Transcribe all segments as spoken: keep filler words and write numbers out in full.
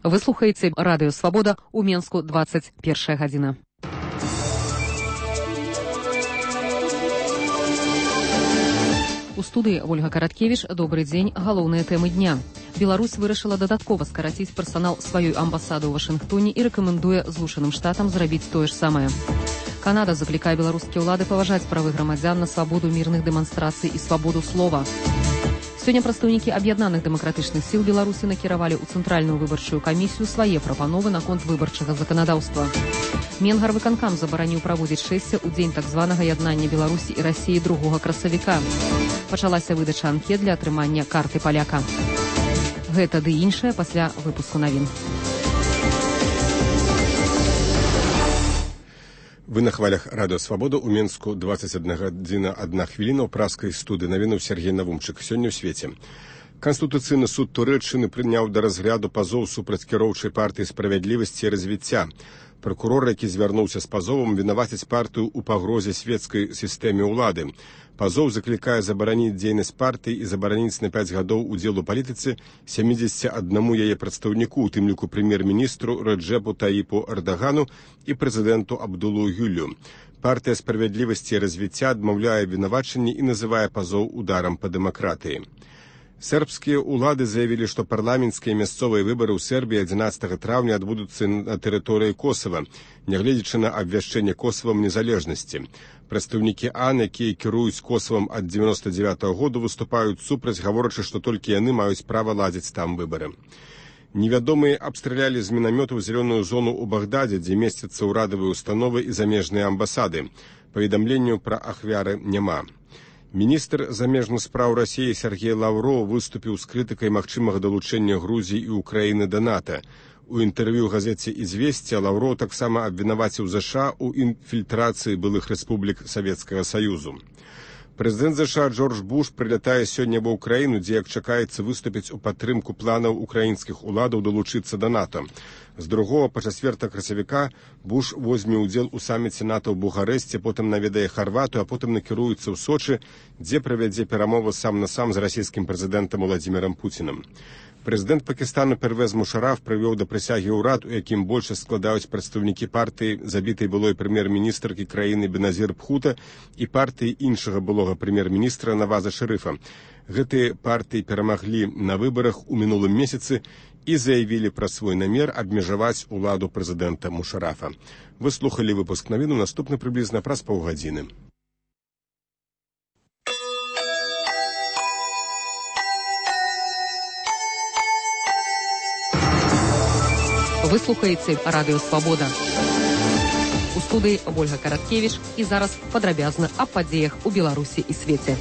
Вы слухаеце радыё Свабода ў Менску двадцать першая гадзіна. У студыі Ольга Караткевіч. Добрый дзень. Галоўныя тэмы дня. Беларусь вырашыла дадаткова скараціць персанал сваёй амбасады ў Вашынгтоне і рэкамендуе Злучаным Штатам зрабіць тое ж самае. Канада заклікае беларускія ўлады паважаць правы грамадзян на свабоду мірных дэманстрацый і свабоду слова. Сёння прадстаўнікі аб'яднаных дэмакратычных сіл Беларусі накіравалі ў цэнтральную выбарчую камісію свае прапановы наконт выбарчага заканадаўства. Менгарвыканкам забараніў праводзіць шэсце ў дзень так званага яднання Беларусі і Расіі другога красавіка. Пачалася выдача анкет для атрымання карты паляка. Гэта ды іншае пасля выпуску навін. Вы на хвалях радыё Свабода ў Менску двадцать одна гадзіна одна хвіліна ў праскай студыі. Навіну Сергей Навумчык. Сёння ў свеце. Канстытуцыйны суд Турэччыны прыняў да разгляду пазоў супраць кіроўчай партыі справядлівасці і развіцця. Пракурор, які звярнуўся з пазовам, вінаваціць партыю ў пагрозе свецкай сістэме ўлады. Пазоў заклікае забараніць дзейнасць партыі і забараніць на пяць гадоў удзел у палітыцы сямідзесяці аднаму яе прадстаўніку, у тым ліку прэм'ер-міністру Рэджэпу Таіпу Эрдагану і прэзідэнту Абдулу Гюлю. Партыя справядлівасці і развіцця адмаўляе вінавачанні і называе пазоў ударам па дэмакратыі. Сербскія ўлады заявілі, што парламенцкія мясцовыя выбары ў Сербіі адзінаццатага траўня адбудуцца на тэрыторыі Косава, нягледзячы на абвяшчэнне Косавам незалежнасці. Прадстаўнікі АН, якія кіруюць Косавам ад дзевяноста дзевятага году, выступаюць супраць, гаворачы, што толькі яны маюць права ладзіць там выбары. Невядомыя абстралялі з мінамётаў зялёную зону ў Багдадзе, дзе месцяцца ўрадавыя установы і замежныя амбасады. Паведамленняў пра ахвяры няма. Міністр замежных спраў Расіі Сергей Лаўроў выступіў з крытыкай магчымага далучэння Грузіі і Украіны да НАТО. У інтэрв'ю газеце «Ізвесця» Лаўроў таксама абвінаваціў ЗША ў інфільтрацыі былых рэспублік Савецкага Саюзу. Прэзідэнт ЗША Джордж Буш прылятае сёння ва ўкраіну, дзе, як чакаецца, выступіць у падтрымку планаў украінскіх уладаў далучыцца да НАТО. З другога па чацвёртага красавіка Буш возьме ўдзел у саміце НАТО ў Бухарэсце, потым наведае Харватыю, а потым накіруецца ў Сочы, дзе правядзе перамовы сам на сам з расійскім прэзідэнтам Уладзімірам Пуцінам. Прэзідэнт Пакістану Первез Мушараф прывёў да прысягі ўрад, у якім большасць складаюць прадстаўнікі партыі забітай былой прэм'ер-міністркі краіны Беназір Бхута і партыі іншага былога прэм'ер-міністра Наваза Шарыфа. Гэтыя партыі перамаглі на выбарах у мінулым месяцы і заявілі пра свой намер абмежаваць уладу прэзідэнта Мушарафа. Вы слухалі выпуск навіну, наступны прыблізна праз паўгадзіны. Вы слухаеце радыё Свабода. У студыі Ольга Караткевіч і зараз падрабязна аб падзеях у Беларусі і свеце.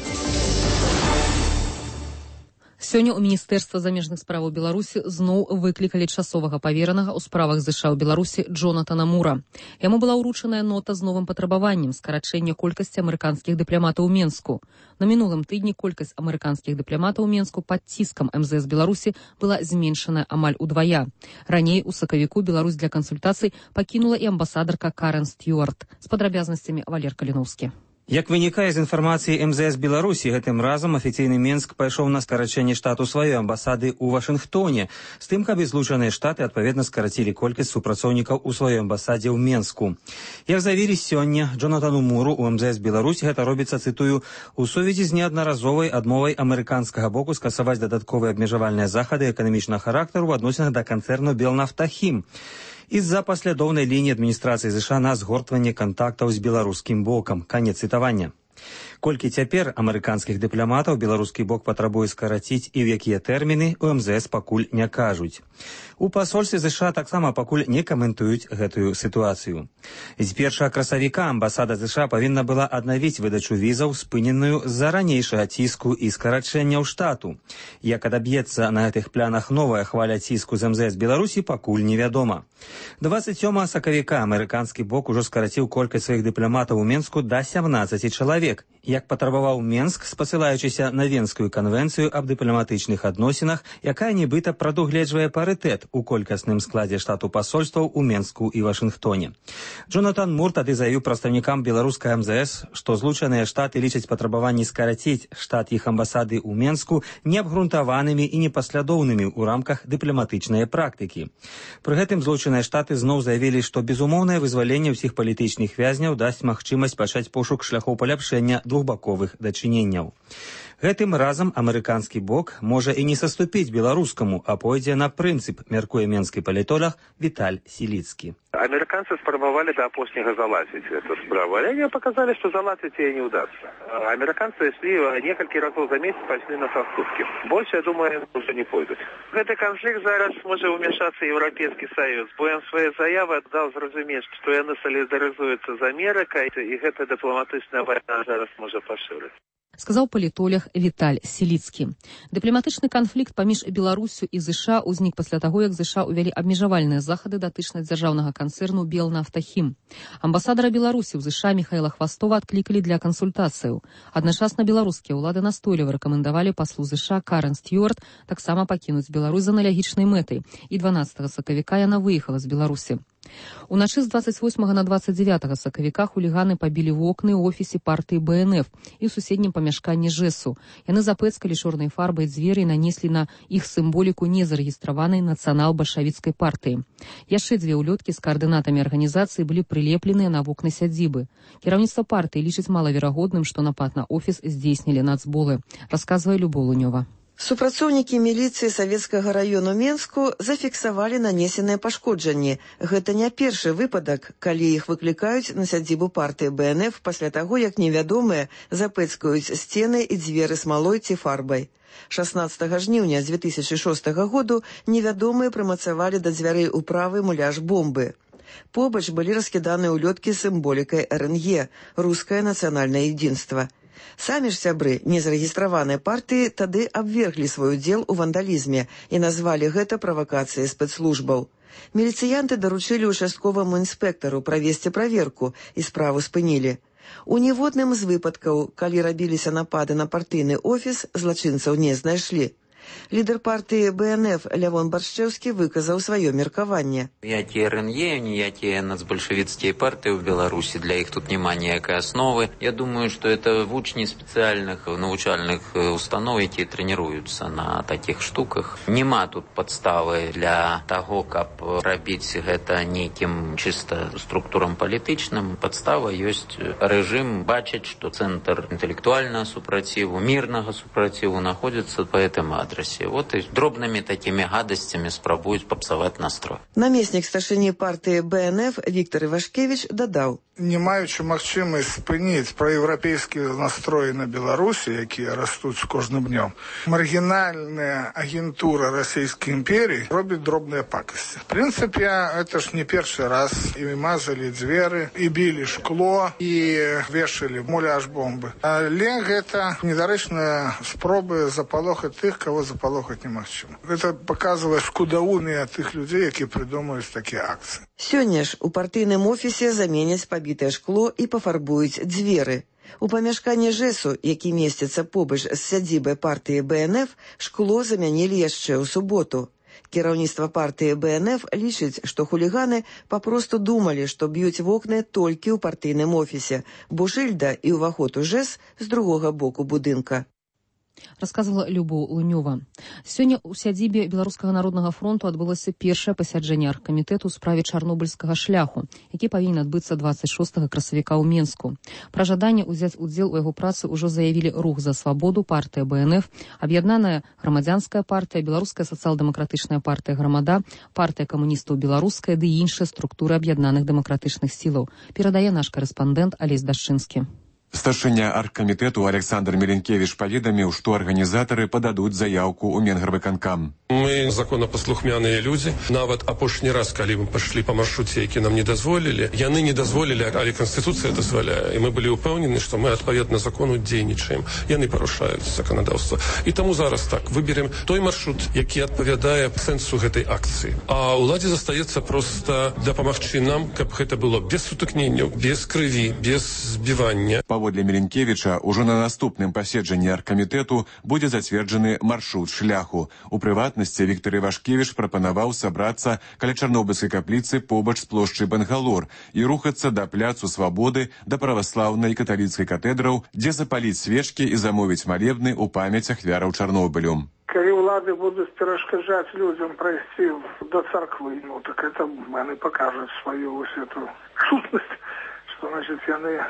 Сёння ў Міністэрства замежных справаў Беларусі зноў выклікалі часовага паверанага ў справах ЗША ў Беларусі Джонатана Мура. Яму была ўручаная нота з новым патрабаваннем скарачэння колькасці амерыканскіх дыпламатаў у Менску. На мінулым тыдні колькасць амерыканскіх дыпламатаў у Менску пад ціскам эм зэ эс Беларусі была зменшаная амаль удвая. Раней у сакавіку Беларусь для кансультацый пакінула і амбасадарка Карен Стюарт. З падрабязнасцямі Валер Каліноўскі. Як вынікае з інфармацыі эм зэ эс Беларусі, гэтым разам афіцыйны Менск пайшоў на скарачэнне штату сваёй амбасады ў Вашынгтоне, з тым, каб і Злучаныя Штаты адпаведна скарацілі колькасць супрацоўнікаў у сваёй амбасадзе ў Менску. Як заявілі сёння Джонатану Муру у эм зэ эс Беларусі, гэта робіцца, цытую, у сувязі з неаднаразовай адмовай амерыканскага боку скасаваць дадатковыя абмежавальныя захады эканамічнага характару ў адносінах да канцэрну Белнафтахім. Из-за паслядоўнай лініі адміністрацыі ЗША на згортванне кантактаў з беларускім бокам. Канец цытавання. Колькі цяпер амерыканскіх дыпламатаў беларускі бок патрабуе скараціць і ў якія тэрміны, у эм зэ эс пакуль не кажуць. У пасольстве ЗША таксама пакуль не каментуюць гэтую сітуацыю. З першага красавіка амбасада ЗША павінна была аднавіць выдачу візаў, спыненую з-за ранейшага ціску і скарачэнняў штату. Як адаб'ецца на гэтых планах новая хваля ціску з эм зэ эс Беларусі, пакуль невядома. двадцать сёмага сакавіка амерыканскі бок ужо скараціў колькасць сваіх дыпламатаў у Менску да сямнаццаці чалавек. як патрабаваў Менск, спасылаючыся на Венскую канвенцыю аб дыпламатычных адносінах, якая нібыта прадугледжвае парытэт у колькасным складзе штату пасольстваў у Менску і Вашынгтоне. Джонатан Мур тады заявіў прадстаўнікам беларускай эм зэ эс, што злучаныя штаты лічаць патрабаванні скараціць штат іх амбасады ў Менску неабгрунтаванымі і непаслядоўнымі ў рамках дыпламатычнай практыкі. Пры гэтым злучаныя штаты зноў заявілі, што безумоўнае вызваленне ўсіх палітычных вязняў дасць магчымасць пачаць пошук шляхоў паляпшэння двухбаковых дачыненняў. Гэтым разам амерыканскі бок можа і не саступіць беларускаму, а пойдзе на прынцып, мяркуе менскі палітолог Віталь Сіліцкі. Американцы спробовали до опошнего залазить эту справу, а они показали, что залазить ей не удастся. Американцы шли несколько разов за месяц, пошли на соступки. Больше, я думаю, уже не пойдут. В этот конфликт зараз может вмешаться Европейский Союз. Бо он свои заявы дал зразумець, что они солидаризуются з Америкой, и эта дипломатичная война зараз может поширить. Сказаў палітолог Віталь Сіліцкі. Дыпламатычны канфлікт паміж Беларусю і ЗША ўзнік пасля таго, як ЗША ўвялі абмежавальныя захады датычна дзяржаўнага канцэрну «Белнафтахім». Амбасадара Беларусі ў ЗША Міхаіла Хвастова адклікалі для кансультацыяў. Адначасна беларускія ўлады настойліва рэкамендавалі паслу ЗША Карен Стюарт таксама пакінуць Беларусь з аналогічнай мэтай, і дванаццатага сакавіка яна выехала з Беларусі. Уначы з двадцать восьмага на двадцать девятага сакавіка хуліганы пабілі вокны ў офісе партыі бэ эн эф і ў суседнім памяшканні ЖЭСу. Яны запэцкалі чорнай фарбай дзверы і нанеслі на іх сімволіку незарэгістраванай нацыянал-бальшавіцкай партыі. Яшчэ дзве ўлёткі з каардынатамі арганізацыі былі прылепленыя на вокны сядзібы. Кіраўніцтва партыі лічыць малаверагодным, што напад на офіс здзейснілі нацболы, расказвае Любоў Лунёва. Супрацоўнікі міліцыі савецкага раёну Менску зафіксавалі нанесеныя пашкоджанні. Гэта не першы выпадак, калі іх выклікаюць на сядзібу партыі бэ эн эф пасля таго, як невядомыя запэцкаюць сцены і дзверы смалой ці фарбай. шаснаццатага жніўня дзве тысячы шостага году невядомыя прымацавалі да дзвярэй управы муляж бомбы. Побач былі раскіданы ўлёткі з сімволікай эр эн е – Рускае нацыянальнае единство. Самі ж сябры незарэгістраванай партыі тады абверглі свой удзел у вандалізме і назвалі гэта правакацыяй спецслужбаў. Міліцыянты даручылі участковаму інспектару правесці праверку і справу спынілі. У ніводным з выпадкаў, калі рабіліся напады на партыйны офіс, злачынцаў не знайшлі. Лідер партыі бэ эн эф Лявон Баршчэўскі выказаў сваё меркаванне. Ніякія эр эн е, ніякія нацбольшавіцкія партыі ў Беларусі, для іх тут няма ніякай асновы. Я думаю, што это вучні спецыяльных навучальных устаноў, якія трэніруюцца на такіх штуках. Нема тут падставы для таго, каб рабіць гэта нейкім чыста структурам палітычным. Падстава ёсць рэжым бачыць, што цэнтр інтэлектуальнага супраціву, мірнага супраціву находзіцца па гэтым адресе. Вот и дробными такими гадостями спробуют попсовать настрой. Намеснік старшыні партыі бэ эн эф Віктор Івашкевіч дадаў. Не маючы магчымасць спыніць праеўрапейскія настроі на Беларусі, якія растуць з кожным днём, маргінальная агентура расійскай імперіі робіць дробныя пакасці. В прынцыпе, это ж не першы раз. І мазалі дзверы, і білі шкло, і вешалі муляж бомбы. Але гэта недарэчныя спробы запалохаць тых, кого запалохаць немагчыма. Гэта паказвае скудаўныя тых людзей, якія прыдумаюць такія акцыі. Сёння ж у партыйным офісе заменяць пабітае шкло і пафарбуюць дзверы. У памяшканні ЖЭСу, які месціцца побач з сядзібай партыі бэ эн эф, шкло замянілі яшчэ ў суботу. Кіраўніцтва партыі бэ эн эф лічыць, што хуліганы папросту думалі, што б'юць вокны толькі ў партыйным офісе, бо шыльда і ўваход у ЖЭС з другога боку будынка. Расказвала Любоў Лунёва. Сёння ў сядзібе Беларускага народнага фронту адбылося першае пасяджэнне аргкамітэту ў справе чарнобыльскага шляху, які павінен адбыцца двадцать шостага красавіка ў Менску. Пра жаданне ўзяць удзел у яго працы ўжо заявілі Рух за свабоду, партыя бэ эн эф, Аб'яднаная грамадзянская партыя, Беларуская сацыял-дэмакратычная партыя Грамада, партыя камуністаў беларуская ды іншыя структуры аб'яднаных дэмакратычных сілаў. Перадае наш корэспандэнт Алесь Дашчынскі. Старшыня аргкамітэту Александр Меленкевич паведаміў, што арганізатары пададуць заяўку ў Менгарвыканкам. Мы законапаслухмяныя людзі. Нават апошні раз, калі мы пайшлі па маршруце, які нам не дазволілі, яны не дазволілі, але Канстытуцыя дазваляе. І мы былі ўпэўнены, што мы адпаведна закону дзейнічаем. Яны парушаюць заканадаўства. І таму зараз так, выберем той маршрут, які адпавядае сэнсу гэтай акцыі. А ўладзе застаецца проста дапамагчы нам, каб гэта было без сутыкненняў, без крыві, без збівання. Паводле Меленкевіча, ужо на наступным паседжанні аргкамітэту будзе зацверджаны маршрут шляху. У прыватнасці Віктор Івашкевіч прапанаваў сабрацца каля Чарнобыльскай капліцы побач з плошчай Бангалор і рухацца да пляцу Свабоды, да праваслаўнай і каталіцкай катэдраў, дзе запаліць свечкі і замовіць малебны ў памяць ахвяраў Чарнобылю. Калі ўлады будуць перашкаджаць людзям прайсці до царквы, ну так это яны пакажуць сваю вось эту сутнасць, што значыць яны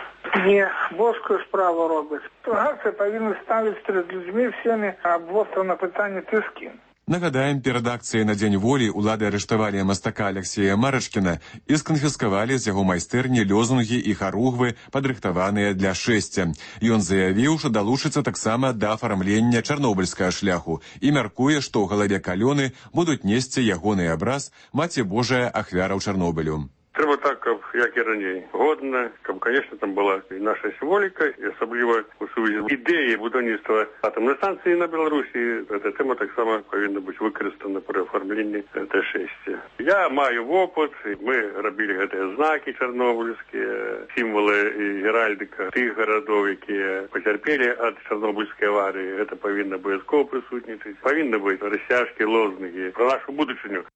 не боскую справу робяць. Тургацыя павінна ставіць перад людзьмі всемі абвострана пытанне ты з кім. Нагадаем, перад акцыяй на Дзень волі улады арыштавалі мастака Алексея Марачкіна і сканфіскавалі з яго майстэрні лёзунгі і харугвы, падрыхтаваныя для шэсця. Ён заявіў, што далучыцца таксама да афармлення чарнобыльскага шляху і мяркуе, што ў галаве калёны будуць несці ягоны абраз Маці Божая ахвяраў Чарнобылю. Трэба так, каб, як і раней, годна, каб, конечно, там была і наша сімволіка, і асабліва у сувязі з ідэяй будаўніцтва атомнай станцыі на Беларусі. Эта тэма таксама павінна быць выкарыстана пры афармленні Т шэсць. Я маю вопыт, мы рабілі гэтыя знакі чарнобыльскія, сімвалы і геральдыка тых гарадоў, якія пацярпелі ад чарнобыльскай аварыі. Гэта павінна абавязкова прысутнічаць. Павінны быць расцяжкі, лозунгі пра нашу будучыню.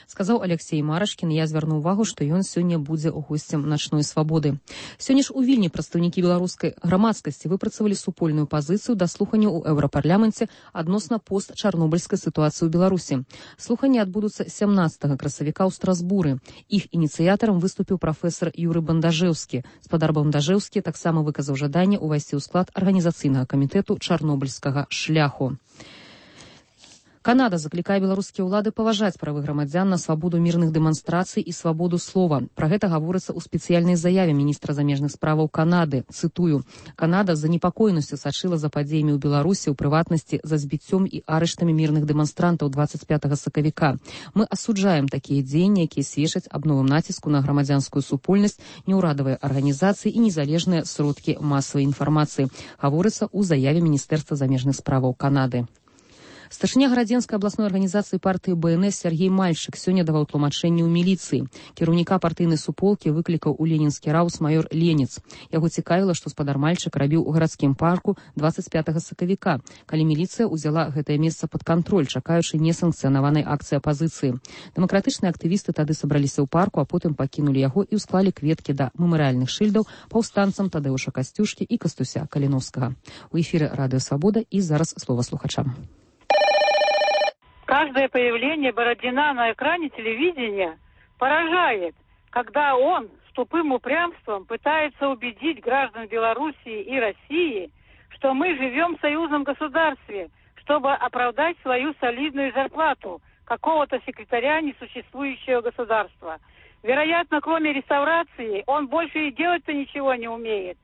Сказаў Алексей Марачкін. Я звярну ўвагу, што ён сёння будзе госцем начной свабоды. Сёння ж у Вільні прадстаўнікі беларускай грамадскасці выпрацавалі супольную пазіцыю да слухання ў еўрапарламенце адносна постчарнобыльскай сітуацыі ў Беларусі. Слуханні адбудуцца сямнаццатага красавіка ў Страсбуры. Іх ініцыятарам выступіў прафесар Юрый Бандажэўскі. Спадар Бандажэўскі таксама выказаў жаданне ўвайсці ў склад арганізацыйнага камітэту чарнобыльскага шляху. Канада заклікае беларускія ўлады паважаць правы грамадзян на свабоду мірных дэманстрацый і свабоду слова. Пра гэта гаворыцца ў спецыяльнай заяве міністра замежных справаў Канады. Цытую. Канада з занепакоенасцю сачыла за падзеямі ў Беларусі, у прыватнасці за збіццём і арыштамі мірных дэманстрантаў дваццаць пятага сакавіка. Мы асуджаем такія дзеянні, якія сведчаць аб новым націску на грамадзянскую супольнасць, неўрадавыя арганізацыі і незалежныя сродкі масавай інфармацыі. Гаворыцца ў заяве міністэрства замежных справаў Канады. Старшыня Гарадзенскай абласной арганізацыі партыі Бэ Эн Эс Сергей Мальчык сёння даваў тлумачэнне ў міліцыі. Кіраўніка партыйнай суполкі выклікаў у ленінскі раус маёр Ленец. Яго цікавіла, што спадар Мальчык рабіў у гарадскім парку дваццаць пятага сакавіка, калі міліцыя ўзяла гэтае месца пад кантроль, чакаючы несанкцыянаванай акцыі апазіцыі. Дэмакратычныя актывісты тады сабраліся ў парку, а потым пакінулі яго і ўсклалі кветкі да мемарыяльных шыльдаў паўстанцам Тадэуша Касцюшкі і Кастуся Каліновскага. У эфіры Радыё Свабода і зараз слова слухачам. Каждое появление Бородина на экране телевидения поражает, когда он с тупым упрямством пытается убедить граждан Белоруссии и России, что мы живем в союзном государстве, чтобы оправдать свою солидную зарплату какого-то секретаря несуществующего государства. Вероятно, кроме реставрации, он больше и делать-то ничего не умеет.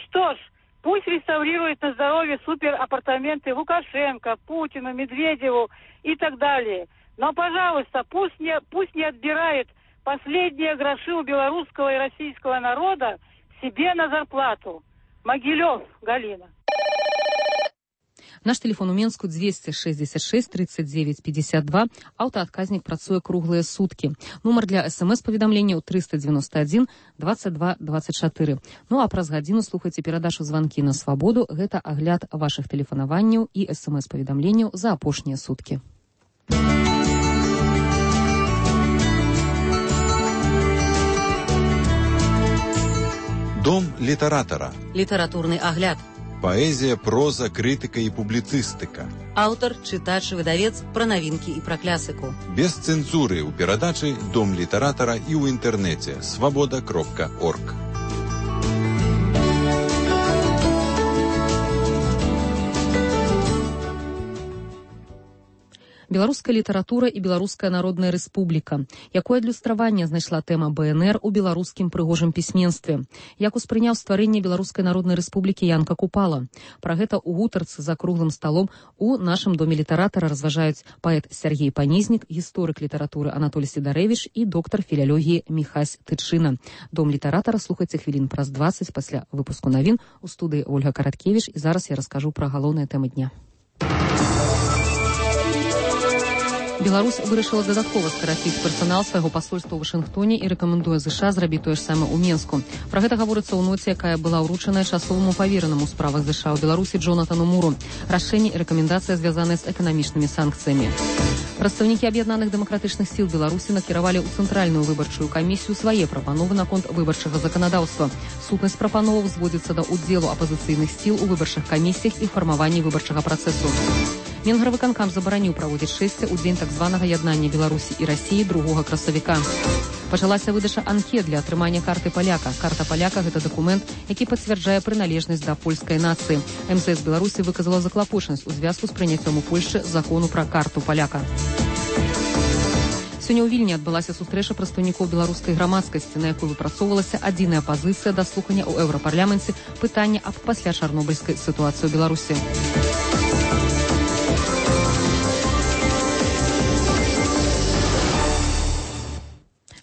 Что ж, пусть реставрирует на здоровье суперапартаменты Лукашенко, Путину, Медведеву и так далее. Но, пожалуйста, пусть не, пусть не отбирает последние гроши у белорусского и российского народа себе на зарплату. Могилев, Галина. Наш телефон у Менску двести шестьдесят шесть тридцать девять пятьдесят два. Аўтаадказнік працуе круглыя суткі. Нумар для смс-паведамленняў триста девяносто один двадцать два двадцать четыре. Ну а праз гадзіну слухайце перадачу «Званкі на свабоду». Гэта агляд вашых тэлефанаванняў і смс-паведамленняў за апошнія суткі. Дом літаратара. Літаратурны агляд. Паэзія, проза, крытыка і публіцыстыка. Аўтар, чытач, выдавец, пра навінкі і пра клясыку. Без цэнзуры ў перадачы «Дом літаратара» і ў інтэрнэце свабода кропка орг. Беларуская літаратура і Беларуская народная рэспубліка. Якое адлюстраванне знайшла тэма Бэ Эн Эр у беларускім прыгожым пісьменстве? Як успрыняў стварэнне Беларускай народнай рэспублікі Янка Купала? Пра гэта ў гутарцы за круглым сталом у нашым доме літаратара разважаюць паэт Сергей Панізнік, гісторык літаратуры Анатолій Сідарэвіч і доктар філялогіі Міхась Тычына. Дом літаратара слухайце хвілін праз дваццаць пасля выпуску навін. У студыі Ольга Караткевіч, і зараз я раскажу пра галоўныя тэмы дня. Беларусь вырашыла дадаткова скараціць персанал свайго пасольства ў Вашынгтоне і рэкамендуе ЗША зрабіць тое ж самае ў Менску. Пра гэта гаворыцца ў ноце, якая была ўручаная часоваму паверанаму ў справах ЗША ў Беларусі Джонатану Муру. Рашэнне і рэкамендацыя звязаныя з эканамічнымі санкцыямі. Прадстаўнікі аб'яднаных дэмакратычных сіл Беларусі накіравалі ў цэнтральную выбарчую камісію свае прапановы наконт выбарчага заканадаўства. Сутнасць прапановаў зводзіцца да ўдзелу апазіцыйных сіл у выбарчых камісіях і фармаванні выбарчага працэсу. Менгарвыканкам забараніў праводзіць шэсце ў дзень так званага яднання Беларусі і Расіі другога красавіка. Пачалася выдача анкет для атрымання карты паляка. Карта паляка – гэта дакумент, які пацвярджае прыналежнасць да польскай нацыі. эм зэ эс Беларусі выказала заклапочанасць у звязку з прыняццём у Польшчы закону пра карту паляка. Сёння ў Вільні адбылася сустрэча прадстаўнікоў беларускай грамадскасці, на якой выпрацоўвалася адзіная пазіцыя да слухання ў еўрапарламенце пытання аб пасля-чарнобыльскай сітуацыі ў Беларусі.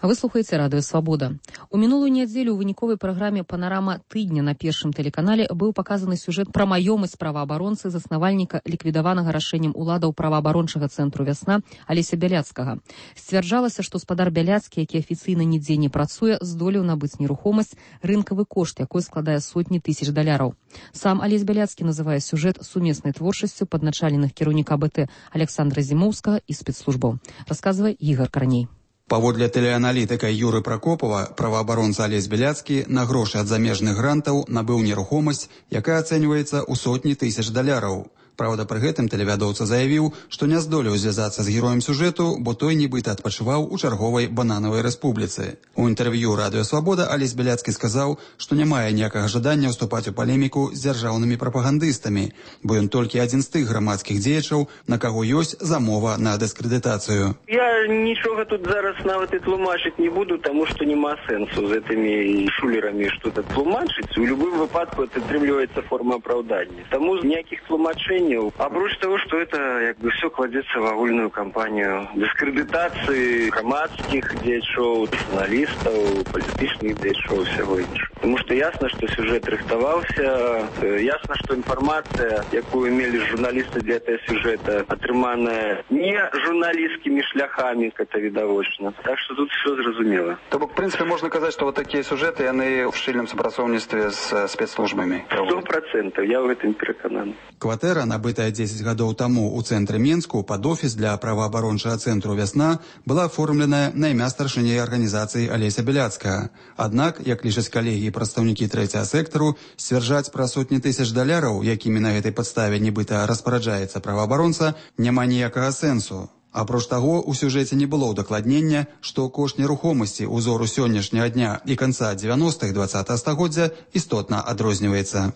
Вы слухаеце радыё «Свабода». У мінулую нядзелю ў выніковай праграме «Панарама тыдня» на першым тэлеканале быў паказаны сюжэт пра маёмасць праваабаронцы, заснавальніка ліквідаванага рашэннем уладаў праваабарончага цэнтру «Вясна» Алеся Бяляцкага. Сцвярджалася, што спадар Бяляцкі, які афіцыйна нідзе не працуе, здолеў набыць нерухомасць, рынкавы кошт, якой складае сотні тысяч даляраў. Сам Алесь Бяляцкі называе сюжэт сумеснай творчасцю падначаленых кіраўніка БТ Александра Зімоўскага і спецслужбаў. Расказвае Ігар Карней. Паводле тэлеаналітыка Юры Пракопова, праваабаронца Алесь Бяляцкі на грошы ад замежных грантаў набыў нерухомасць, якая ацэньваецца ў сотні тысяч даляраў. Праўда, пры гэтым тэлевядоўца заявіў, што не здолеў звязацца з героем сюжэту, бо той нібыта адпачываў у чарговай бананавай рэспубліцы. У інтэрв'ю радыё «Свабода» Алесь Бяляцкі сказаў, што не мае ніякага жадання ўступаць у палеміку з дзяржаўнымі прапагандыстамі, бо ён толькі адзін з тых грамадскіх дзеячаў, на каго ёсць замова на дыскрэдытацыю. Я нічога тут зараз нават і тлумачыць не буду, таму што няма сэнсу з гэтымі шулерамі што-то тлумачыць. У любым выпадку это атрымліваецца форма апраўдання. Таму ніякіх тлумачэнняў. Апроч того, что это как бы все кладется в агульную кампанию дискредитации громадских дзеячоў, журналистов, политических дзеячоў, всего іншого. Потому что ясно, что сюжет рыхтовался, ясно, что информация, якую имели журналисты для этого сюжета, атрыманая не журналистскими шляхами, как это видовочно. Так что тут все зразумело. То бок, в принципе, можно сказать, что вот такие сюжеты, они в шчыльным супрацоўніцтве с спецслужбами. Сто процентов, я в этом переканан. Кватэра, набытая дзесяць гадоў таму ў цэнтры Менску пад офіс для праваабарончага цэнтру «Вясна», была аформленая на імя старшыні арганізацыі Алеся Бяляцкага. Аднак, як лічаць калегі і прадстаўнікі трэцяга сектару, сцвярджаць пра сотні тысяч даляраў, якімі на гэтай падставе нібыта распараджаецца праваабаронца, няма ніякага сэнсу. Апроч таго, у сюжэце не было ўдакладнення, што кошт нерухомасці ўзору сённяшняга дня і канца дзевяностых двадцатага стагоддзя істотна адрозніваецца.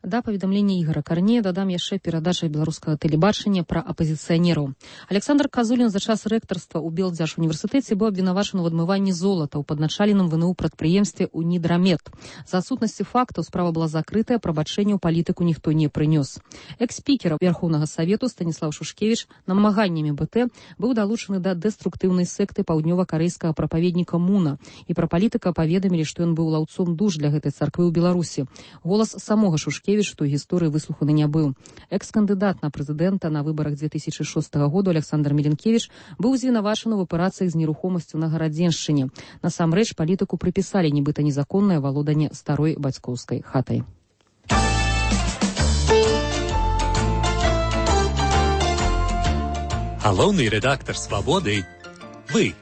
Да паведамлення Ігара Карнея дадам яшчэ перадача беларускага тэлебачання пра апазіцыянераў. Александр Казулін за час рэктарства ў Белдзяржуніверсітэце быў абвінавачаны ў адмыванні золата ў падначаленым ВНУ прадпрыемстве «Унідрамет». За адсутнасці фактаў справа была закрытая, прабачэння ў палітыку ніхто не прынёс. Экс-спікер Верхоўнага Савету Станіслав Шушкевіч намаганнямі БТ быў далучаны да дэструктыўнай секты паўднёва-карэйскага прапаведніка Муна, і пра палітыка паведамілі, што ён быў лаўцом душ для гэтай царквы ў Беларусі. Голас самога Шушкевіча што гісторыі выслуханы не быў. Экс-кандыдат на прэзідэнта на выбарах две тысячи шостага году Александр Меленкевич быў звінавачаны ў аперацыях з нерухомасцю на Гарадзеншчыне. Насамрэч палітыку прыпісалі нібыта незаконнае валоданне старой бацькоўскай хатай. Галоўны рэдактар «Свабоды» – вы.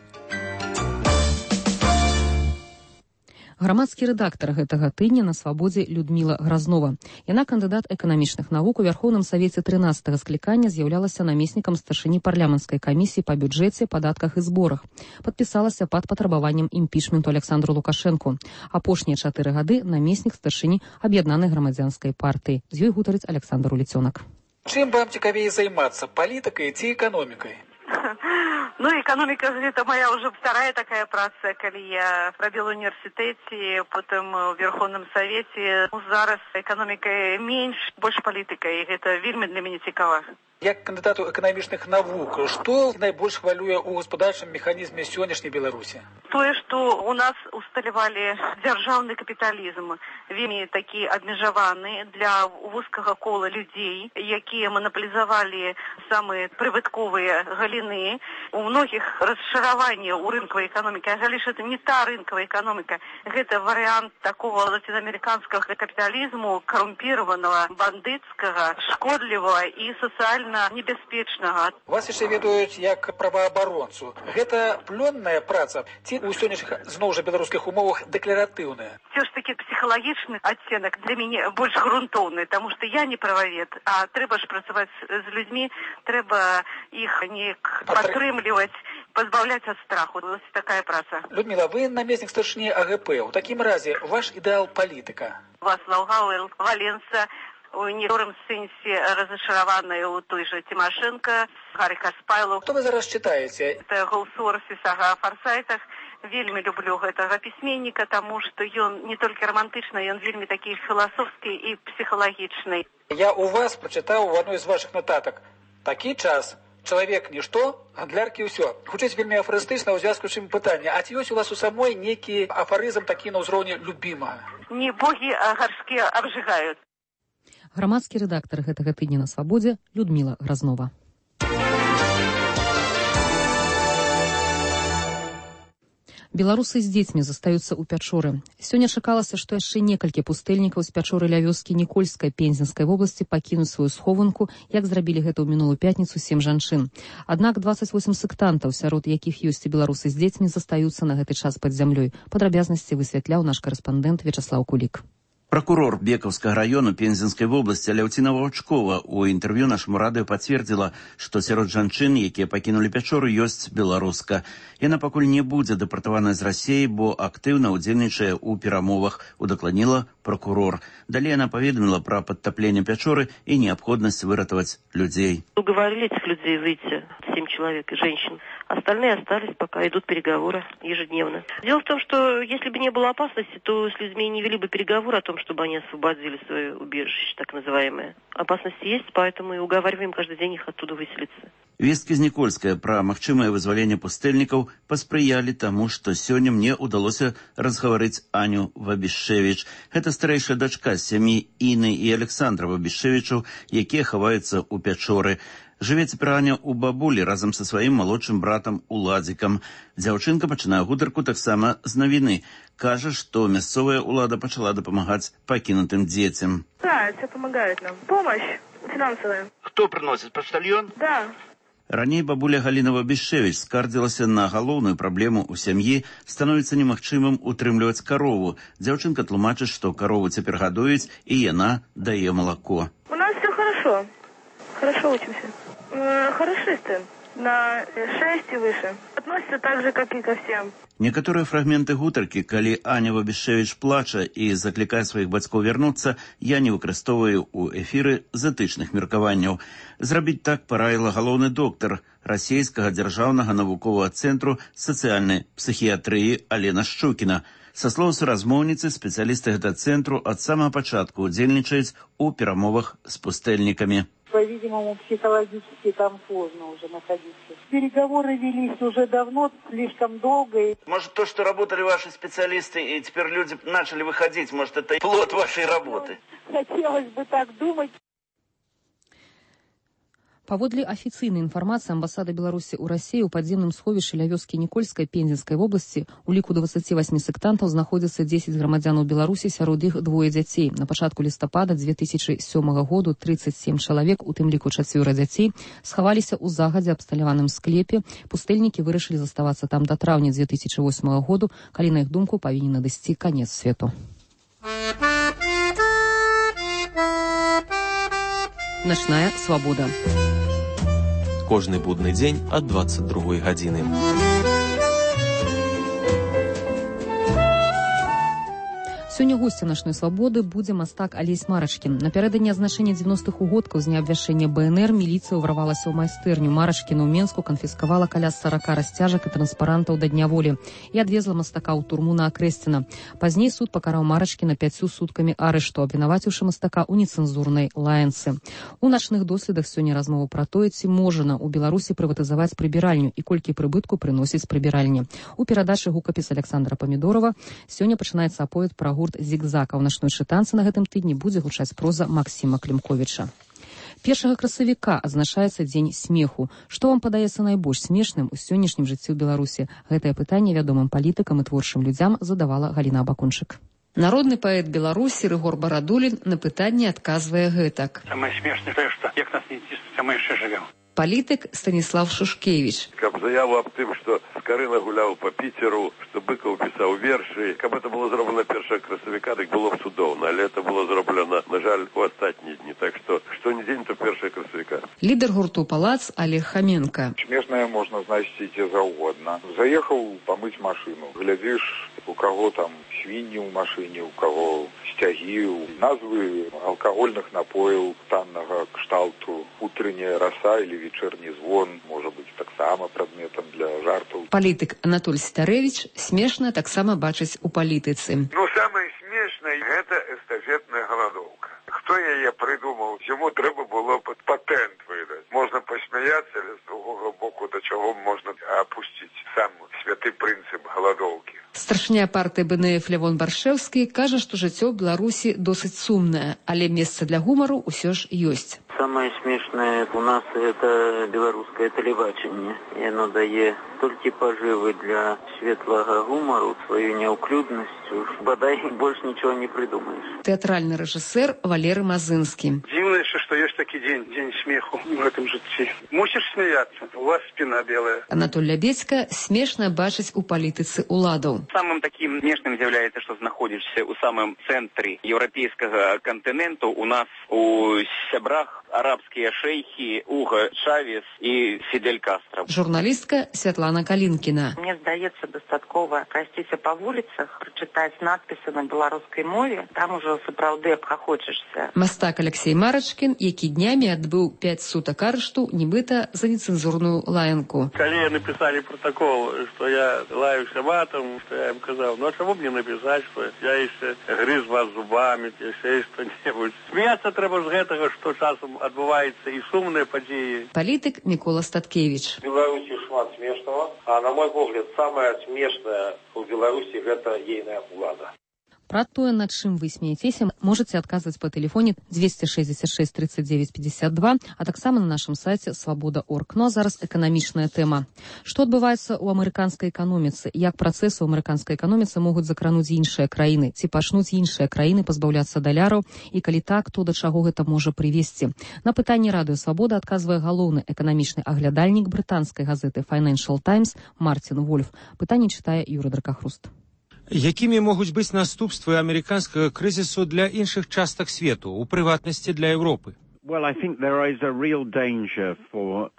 Грамадскі рэдактар гэтага тыдня на «Свабодзе» Людміла Гразнова. Яна кандыдат эканамічных навук у Верхоўным Савеце трынаццатага склікання, з'яўлялася намеснікам старшыні парламенцкай камісіі па бюджэце, падатках і зборах. Падпісалася пад патрабаваннем імпічменту Александру Лукашэнку. Апошнія чатыры гады намеснік старшыні аб'яднанай грамадзянскай партыі. З ёй гутарыць Александр Уліцёнак. Чым вам цікавей займацца, палітыкай ці эканомікай? Ну, экономика – это моя уже вторая такая праца, калі я робила в университете, потом в Верховном Совете. Зараз экономика меньше, больше политика, и это вельмі для меня цікава. Як кандыдату эканамічных навук, што найбольш хвалюе ў гаспадарчым механізме сённяшняй Беларусі? Тое, што у нас усталявалі дзяржаўны капіталізм, вельмі такі абмежаваны для вузкага кола людзей, якія манаполізавалі самыя прыбытковыя галіны. У многіх расшыраванне ў рынкавай эканомікі, але ж это не та рынкавая эканоміка, гэта варыянт такого латиноамериканского капіталізму, карумпіраванага, бандыцкага, шкодлівага і сацыяльна небяспечнага. Вас яшчэ ведаюць як праваабаронцу. Гэта плённая праца ці ў сённяшніх зноў жа беларускіх умовах дэкларатыўная? Все ж таки псіхалагічны адценак для мяне больш грунтоўны, таму што я не прававед, а трэба ж працаваць з людзьмі, трэба іх неяк падтрымліваць, пазбаўляць ад страху. Вось такая праца. Людмила, вы намеснік старшыні А Г П. У такім разе ваш ідэал палітыка? Вацлаў Гавел, Валенса, у некоторым сэнсе разочарованная у той же Тимошенко, Гарри Каспайлу. Што вы зараз читаете? Это Гоусорси, сага о форсайтах. Вельмі люблю гэтага пісьменніка, таму што ён не толькі романтычны, ён вельмі такі філасофскі і псіхалагічны. Я у вас прочитаў у адной з ваших нотатак. Такі час. Чалавек нішто, гандляркі ўсё. Хутчэй вельмі афарыстычна ў звязку з чым пытанне. А ці ёсць у вас у самой нейкі афарызм такі на ўзроўні любімага? Не богі, а гаршкі абжигаюць. Грамадскі рэдактар гэтага тыдня на Свабодзе Людмила Грознова. Беларусы з дзецьмі застаюцца ў Пячоры. Сёння чакалася, што яшчэ некалькі пустэльнікаў з Пячоры ля вёскі Нікольскай Пензенскай вобласці пакінуць сваю схованку, як зрабілі гэта ў мінулую пятніцу сем жанчын. Аднак дваццаць восем сектантаў, сярод якіх ёсць і беларусы з дзецьмі, застаюцца на гэты час пад зямлёй. Падрабязнасці высвятляў наш карэспандэнт Вячаслаў Кулік. Прокурор Бекаўскага района Пензенскай вобласці Ляўціна Ваўчкова у інтэрв'ю нашаму радыё пацвердзіла, што сярод жанчын, якія пакінулі Пячору, ёсць беларуска. Яна пакуль не будзе дэпартавана з Расіі, бо актыўна ўдзельнічае ў перамовах, удакладніла прокурор. Далей яна паведаміла пра падтапленне Пячоры і неабходнасць выратаваць людзей. Уговорили этих людей выйти, семь человек и женщин. Остальные остались, пока идут переговоры ежедневно. Дело в том, что если бы не было опасности, то с людьми не вели бы переговоры о том, чтобы они освободили свое убежище, так называемое. Опасность есть, поэтому и уговариваем каждый день их оттуда выселиться. Весткі з Нікольская пра магчымае вызваленне пустэльнікаў паспрыялі таму, што сёння мне ўдалося разгаварыць Аню Вабішевіч. Гэта старэйшая дачка з сям'і Іны і Александра Вабішевічаў, якія хаваюцца ў Пячоры. Жыве цяпер Аня ў бабулі разам са сваім малодшым братам Уладзікам. Дзяўчынка пачынае гутарку таксама з навіны. Кажа, што мясцовая ўлада пачала дапамагаць пакінутым дзецям. Да, это помогает нам. Помощь финансовая. Кто приносит? Почтальон? Да. Раней бабуля Галіна Вабішевіч скардзілася на галоўную праблему ў сям'і, становіцца немагчымым утрымліваць карову. Дзяўчынка тлумачыць, што карову цяпер гадуюць, і яна дае малако. У нас все хорошо. Хорошо учимся. Э, хорошисты. На шесть и выше. Относятся так же, как и ко всем. Некаторыя фрагменты гутаркі, калі Аня Вабішевіч плача і заклікае сваіх бацькоў вярнуцца, я не выкарыстоўваю ў эфіры з этычных меркаванняў. Зрабіць так параіла галоўны доктар расійскага дзяржаўнага навуковага цэнтру сацыяльнай псіхіятрыі Алена Шчукіна. Са слоў суразмоўніцы, спецыялісты гэтага цэнтру ад самага пачатку удзельнічаюць у перамовах з пустэльнікамі. По-видимому, психологически там сложно уже находиться. Переговоры велись уже давно, слишком долго. Может, то, что работали ваши специалисты, и теперь люди начали выходить, может, это плод вашей работы? Хотелось бы так думать. Паводле афіцыйнай інфармацыі амбасады Беларусі ў Расіі ў падземным сховішчы ля вёскі Нікольскай Пензенскай вобласці у ліку дваццаці васьмі сектантаў знаходзяцца дзесяць грамадзянаў Беларусі, сярод іх двое дзяцей. На пачатку лістапада дзве тысячы сёмага году трыццаць сем чалавек, у тым ліку чацвёра дзяцей, схаваліся ў загадзя абсталяваным склепе. Пустэльнікі вырашылі заставацца там да траўня дзве тысячы восьмага году, калі, на іх думку, павінен надысці канец свету. Начная свабода. Кожны будны дзень ад дваццаць другой гадзіны. Сёння госцем нашай свабоды будзе мастак Алесь Марачкін. Напярэдадні азначэння дзевяностых угодкаў з дня абвяшчэння БНР міліцыя ўварвалася ў майстэрню Марачкіна ў Менску, канфіскавала каля сарака расцяжак і транспарантаў да Дня волі і адвезла мастака ў турму на Акрэсціна. Пазней суд пакараў Марачкіна пяццю суткамі арышту, абвінаваціўшы мастака ў нецэнзурнай лаянцы. У начных доследах сёння размова пра тое, ці можна ў Беларусі прыватызаваць прыбіральню і колькі прыбытку прыносіць прыбіральні. У перадачы гукапіс Александра Памідорова сёння пачынаецца аповед пра гурт «Зігзаг», а ў начной чытанцы на гэтым тыдні будзе гучаць проза Максіма Клімковіча. Першага красавіка адзначаецца дзень смеху. Што вам падаецца найбольш смешным у сённяшнім жыцці ў Беларусі? Гэтае пытанне вядомым палітыкам і творчым людзям задавала Галіна Абакунчык. Народны паэт Беларусі Рыгор Барадулін на пытанне адказвае гэтак. Самае смешнае тое, што як нас не ціснуць, мы яшчэ жывём. Палітык Станіслав Шушкевич. Каб заяву аб тым, што Скарына гуляў па Піцеру, што Быкаў пісаў вершы, каб это было зроблена першага красавіка, так было б цудоўна, але это было зроблена, на жаль, у астатнія дні, так што што не дзень, то першага красавіка. Лідар гурту «Палац» Олег Хаменка. Смешнае можна знайсці дзе заўгодна. Заехаў памыць машыну, глядзіш, у каго там свінні ў машыне, у каго сцягі, назвы алкагольных напояў таннага кшталту, утренняя роса или вечерний звон, можа быць таксама прадметам для жартаў. Палітык Анатоль Старевич смешна таксама бачыць у палітыцы. Ну, самае смешнае – гэта эстафетная галадоўка. Хто яе прыдумаў? Яму трэба было пад патэнт выдаць. Можна пасмяяцца, але з другога боку да чаго можна апусціць сам святы прынцып галадоўкі. Старшыня партыі БНФ Лявон Баршэўскі кажа, што жыццё ў Беларусі досыць сумнае, але месца для гумару ўсё ж ёсць. Самое смешное у нас это белорусское телебачение. И оно дает столько поживы для светлого гумору, свою неуклюдностью. Бодай больше ничего не придумаешь. Театральный режиссер Валерий Мазынский. Дивно еще, что есть такой день, день смеху в этом житті. Мусишь смеяться, у вас спина белая. Анатоль Лябедька смешно бачыць у палітыцы уладаў. Самым таким смешным является, что находишься у самом центре европейского континента. У нас у сябрах арабские шейхи Уго Чавес и Фидель Кастро. Журналистка Святлана Калинкина. Мне здаецца дастаткова прайсціся па вуліцах, прачытаць надпісы на беларускай мове, там ужо сапраўды абхахочешся. Мастак Алексей Марачкін, які днямі адбыў пяць сутак арышту, нібыта за нецэнзурную лаянку. Калі написали протокол, что я лаюся матом, что я им сказал, ну а чего мне написать, что я еще грыз вас зубами, еще что-нибудь. Смеяться треба з гэтага, что часом адбываецца і сумныя падзеі. Палітык Мікола Статкевич. В Беларусі шмат смешного, а на мой погляд, самое смешное у Беларусі гэта ейная улада. Пра тое, над чым вы смеецеся, можаце адказваць па тэлефоне двести шестьдесят шесть тридцать девять пятьдесят два, а таксама на нашым сайце свабода точка орг. Ну а зараз эканамічная тэма. Што адбываецца ў амерыканскай эканоміцы? Як працэсы ў амерыканскай эканоміцы могуць закрануць іншыя краіны? Ці пачнуць іншыя краіны пазбаўляцца даляраў? І калі так, то да чаго гэта можа прывесці? На пытанне радыё «Свабода» адказвае галоўны эканамічны аглядальнік брытанскай газеты Financial Times Мартин Вольф. Пытанне чытае Юрый Дракахруст. Якімі могуць быць наступствы амерыканскага крызісу для іншых частак свету, у прыватнасці для Еўропы? Well, I think there is a real danger for...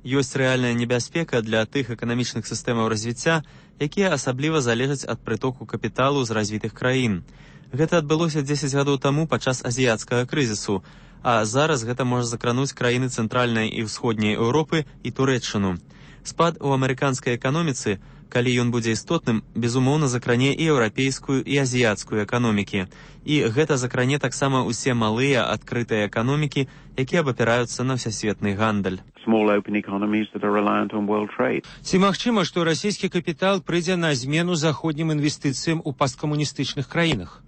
Ёсць рэальная небяспека для тых эканамічных сістэмаў развіцця, якія асабліва залежаць ад прытоку капіталу з развітых краін. Гэта адбылося дзесяць гадоў таму падчас азіяцкага крызісу, а зараз гэта можа закрануць краіны цэнтральнай і ўсходняй Еўропы і Турэччыну. Спад у амерыканскай эканоміцы, калі ён будзе істотным, безумоўна закране і еўрапейскую, і азіяцкую эканомікі. І гэта закране таксама ўсе малыя адкрытыя эканомікі, якія абапіраюцца на ўсясветны гандаль. Ці магчыма, што расійскі капітал прыйдзе на змену заходнім інвестыцыям у пасткамуністычных краінах?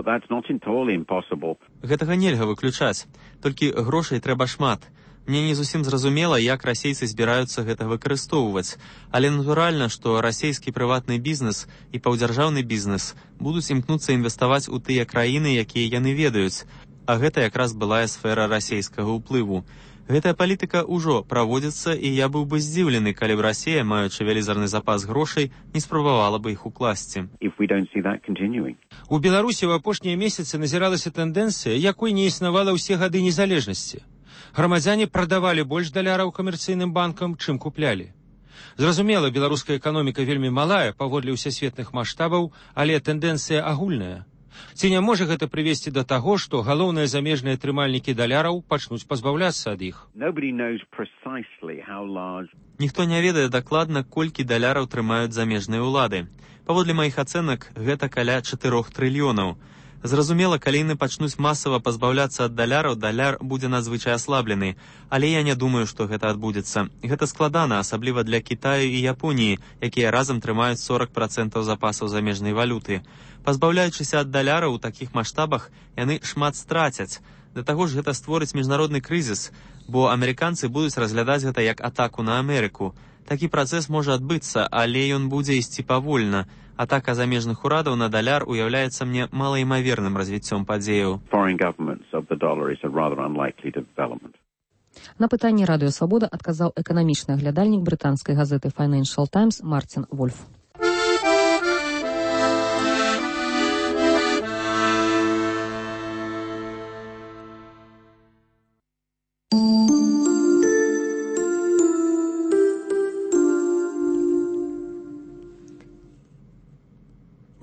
Гэтага нельга выключаць, толькі грошай трэба шмат. Мне не зусім зразумела, як расейцы збіраюцца гэта выкарыстоўваць, але натуральна, што расійскі прыватны бізнес і паўдзяржаўны бізнес будуць імкнуцца інвеставаць у тыя краіны, якія яны ведаюць, а гэта якраз былая сфера расійскага ўплыву. Гэтая палітыка ўжо праводзіцца, і я быў бы здзіўлены, калі б Расія, маючы вялізарны запас грошай, не спрабавала бы іх укласці. У Беларусі ў апошнія месяцы назіралася тэндэнцыя, якой не існавала ўсе гады незалежнасці. Грамадзяне прадавалі больш даляраў камерцыйным банкам, чым куплялі. Зразумела, беларуская эканоміка вельмі малая паводле ўсесветных маштабаў, але тэндэнцыя агульная. Ці не можа гэта прывесці да таго, што галоўныя замежныя трымальнікі даляраў пачнуць пазбаўляцца ад іх? Ніхто не ведае дакладна, колькі даляраў трымаюць замежныя ўлады. Паводле маіх ацэнак, гэта каля чатырох трыльёнаў. Зразумела, калі яны пачнуць масава пазбаўляцца ад даляраў, даляр будзе надзвычай аслаблены. Але я не думаю, што гэта адбудзецца. Гэта складана, асабліва для Кітаю і Японіі, якія разам трымаюць сорок працэнтаў запасаў замежнай валюты. Пазбаўляючыся ад даляраў у такіх маштабах, яны шмат страцяць. Да таго ж гэта створыць міжнародны крызіс, бо амерыканцы будуць разглядаць гэта як атаку на Амерыку. Такі працэс можа адбыцца, але ён будзе ісці павольна. Атака замежных урадаў на даляр уяўляецца мне малаімаверным развіццём падзеяў. На пытанне Радыё Свабода адказаў эканамічны аглядальнік брытанскай газеты Financial Times Мартин Вольф.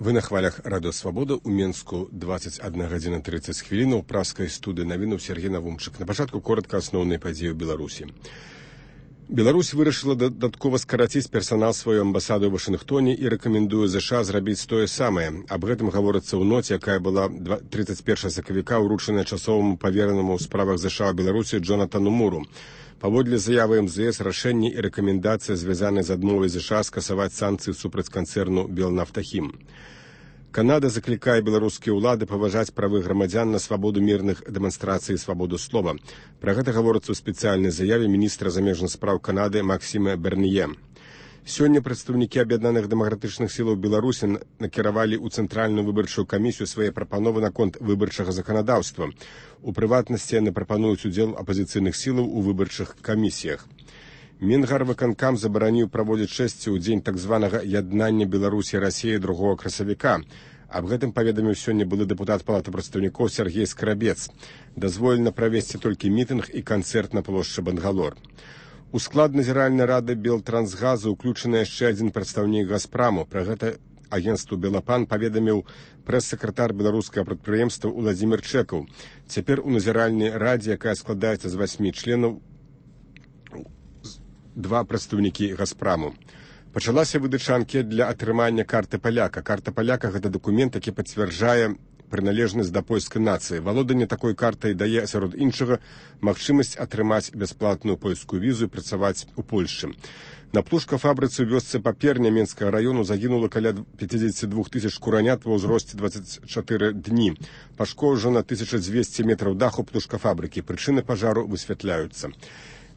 Вы на хвалях Радыё Свабода. У Менску двадцать одна гадзіна тридцать хвілін. У праскай студыі навінаў Сергей Навумчык. На пачатку коротка асноўныя падзеі ў Беларусі. Беларусь вырашыла дадаткова скараціць персанал сваёй амбасады ў Вашынгтоне і рэкамендуе ЗША зрабіць тое самае. Аб гэтым гаворыцца ў ноце, якая была тридцать першага сакавіка ўручаная часоваму паверанаму ў справах ЗША ў Беларусі Джонатану Муру. Паводле заявы эм зэ эс, рашэнні і рэкамендацыі, звязаныя з адмовай ЗША скасаваць санкцыі супраць канцэрну «Белнафтахім». Канада заклікае беларускія ўлады паважаць правы грамадзян на свабоду мірных дэманстрацый і свабоду слова. Пра гэта гаворыцца ў спецыяльнай заяве міністра замежных спраў Канады Максіма Берніе. Сёння прадстаўнікі аб'яднаных дэмакратычных сілаў Беларусі накіравалі ў Цэнтральную выбарчую камісію свае прапановы наконт выбарчага заканадаўства. У прыватнасці яны прапануюць удзел апазіцыйных сілаў у выбарчых камісіях. Мінгарвыканкам забараніў праводзіць шэсці ў дзень так званага яднання Беларусі і Расіі другога красавіка. Аб гэтым паведаміў сёння былы дэпутат Палаты прадстаўнікоў Сергей Скрабец. Дазволена правесці толькі мітынг і канцэрт на плошчы Бангалор. У склад назіральнай рады Белтрансгазу ўключаны яшчэ адзін прадстаўнік Газпраму. Пра гэта агенцтву Белапан паведаміў прэс-сакратар беларускага прадпрыемства Уладзімір Чэкаў. Цяпер у назіральнай радзе, якая складаецца з васьмі членаў, два прадстаўнікі Газпраму. Пачалася выдача анкет для атрымання карты паляка. Карта паляка – гэта дакумент, які пацвярджае прыналежнасць да польскай нацыі. Валоданне такой картай дае, сярод іншага, магчымасць атрымаць бясплатную польскую візу і працаваць у Польшчы. На птушкафабрыцы ў вёсцы Паперня Менскага раёну загінула каля пятьдесят два тысяч куранят ва ўзросце двадцать чатыры дні. Пашкоджана тысяча дзвесце метраў даху птушкафабрыкі. Прычыны пажару высвятляюцца.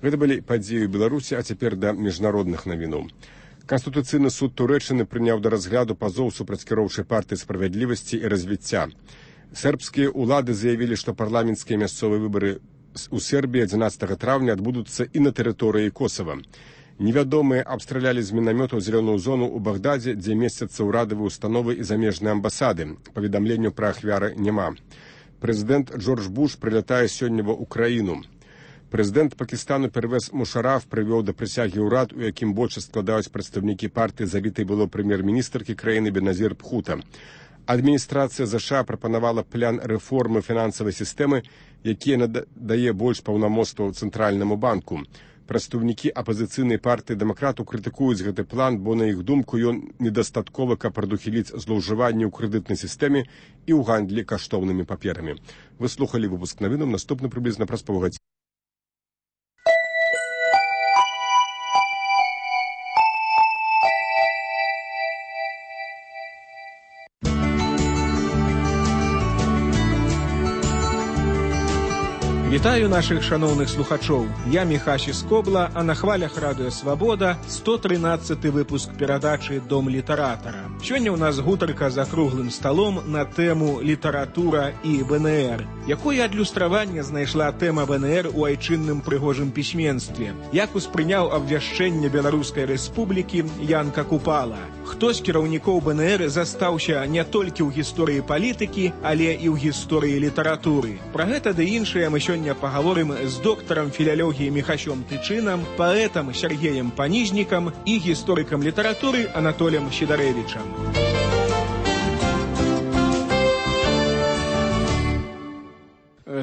Гэта былі падзеі ў Беларусі, а цяпер да міжнародных навіноў. Канстытуцыйны суд Турэччыны прыняў да разгляду пазоў супраць кіроўчай партыі справядлівасці і развіцця. Сербскія ўлады заявілі, што парламенцкія мясцовыя выбары у Сербіі адзінаццатага траўня адбудуцца і на тэрыторыі Косава. Невядомыя абстралялі з мінамётаў зялёную зону ў Багдадзе, дзе месцяцца ўрадавыя установы і замежныя амбасады. Паведамленняў пра ахвяры няма. Прэзідэнт Джордж Буш прылятае сёння ва ўкраіну. Прэзідэнт Пакістану Первез Мушараф прывёў да прысягі ўрад, у якім большасць складаюць прадстаўнікі партыі забітай было прэм'ер-міністркі краіны Беназір Бхута. Адміністрацыя ЗША прапанавала план рэформы фінансавай сістэмы, які надае больш паўнамоцтваў Цэнтральнаму банку. Прадстаўнікі апазіцыйнай партыі дэмакратаў крытыкуюць гэты план, бо на іх думку ён недастатковы, каб прадухіліць злоўжыванне ў крэдытнай сістэме і ў гандлі каштоўнымі паперамі. Вы слухалі выпуск навінаў, наступны прыблізна праз паўгадзіны. Вітаю наших шановних слухачоў. Я Міхась Скобла, а на хвалях Радыё Свабода сто тринадцаты выпуск перадачы «Дом літаратара». Сёння ў нас гутарка за круглым сталом на тэму літаратура і ВНР. Якое адлюстраванне знайшла тэма ВНР у айчынным прыгожым пісьменстве? Як успрыняў абвяшчэнне Беларускай Рэспублікі Янка Купала? Хто з кіраўнікоў ВНР застаўся не толькі ў гісторыі палітыкі, але і ў гісторыі літаратуры? Пра гэта ды іншае мы сёння поговорим с доктором филологии Михасем Тычином, поэтом Сергеем Панижником и историком литературы Анатолием Щедаревичем.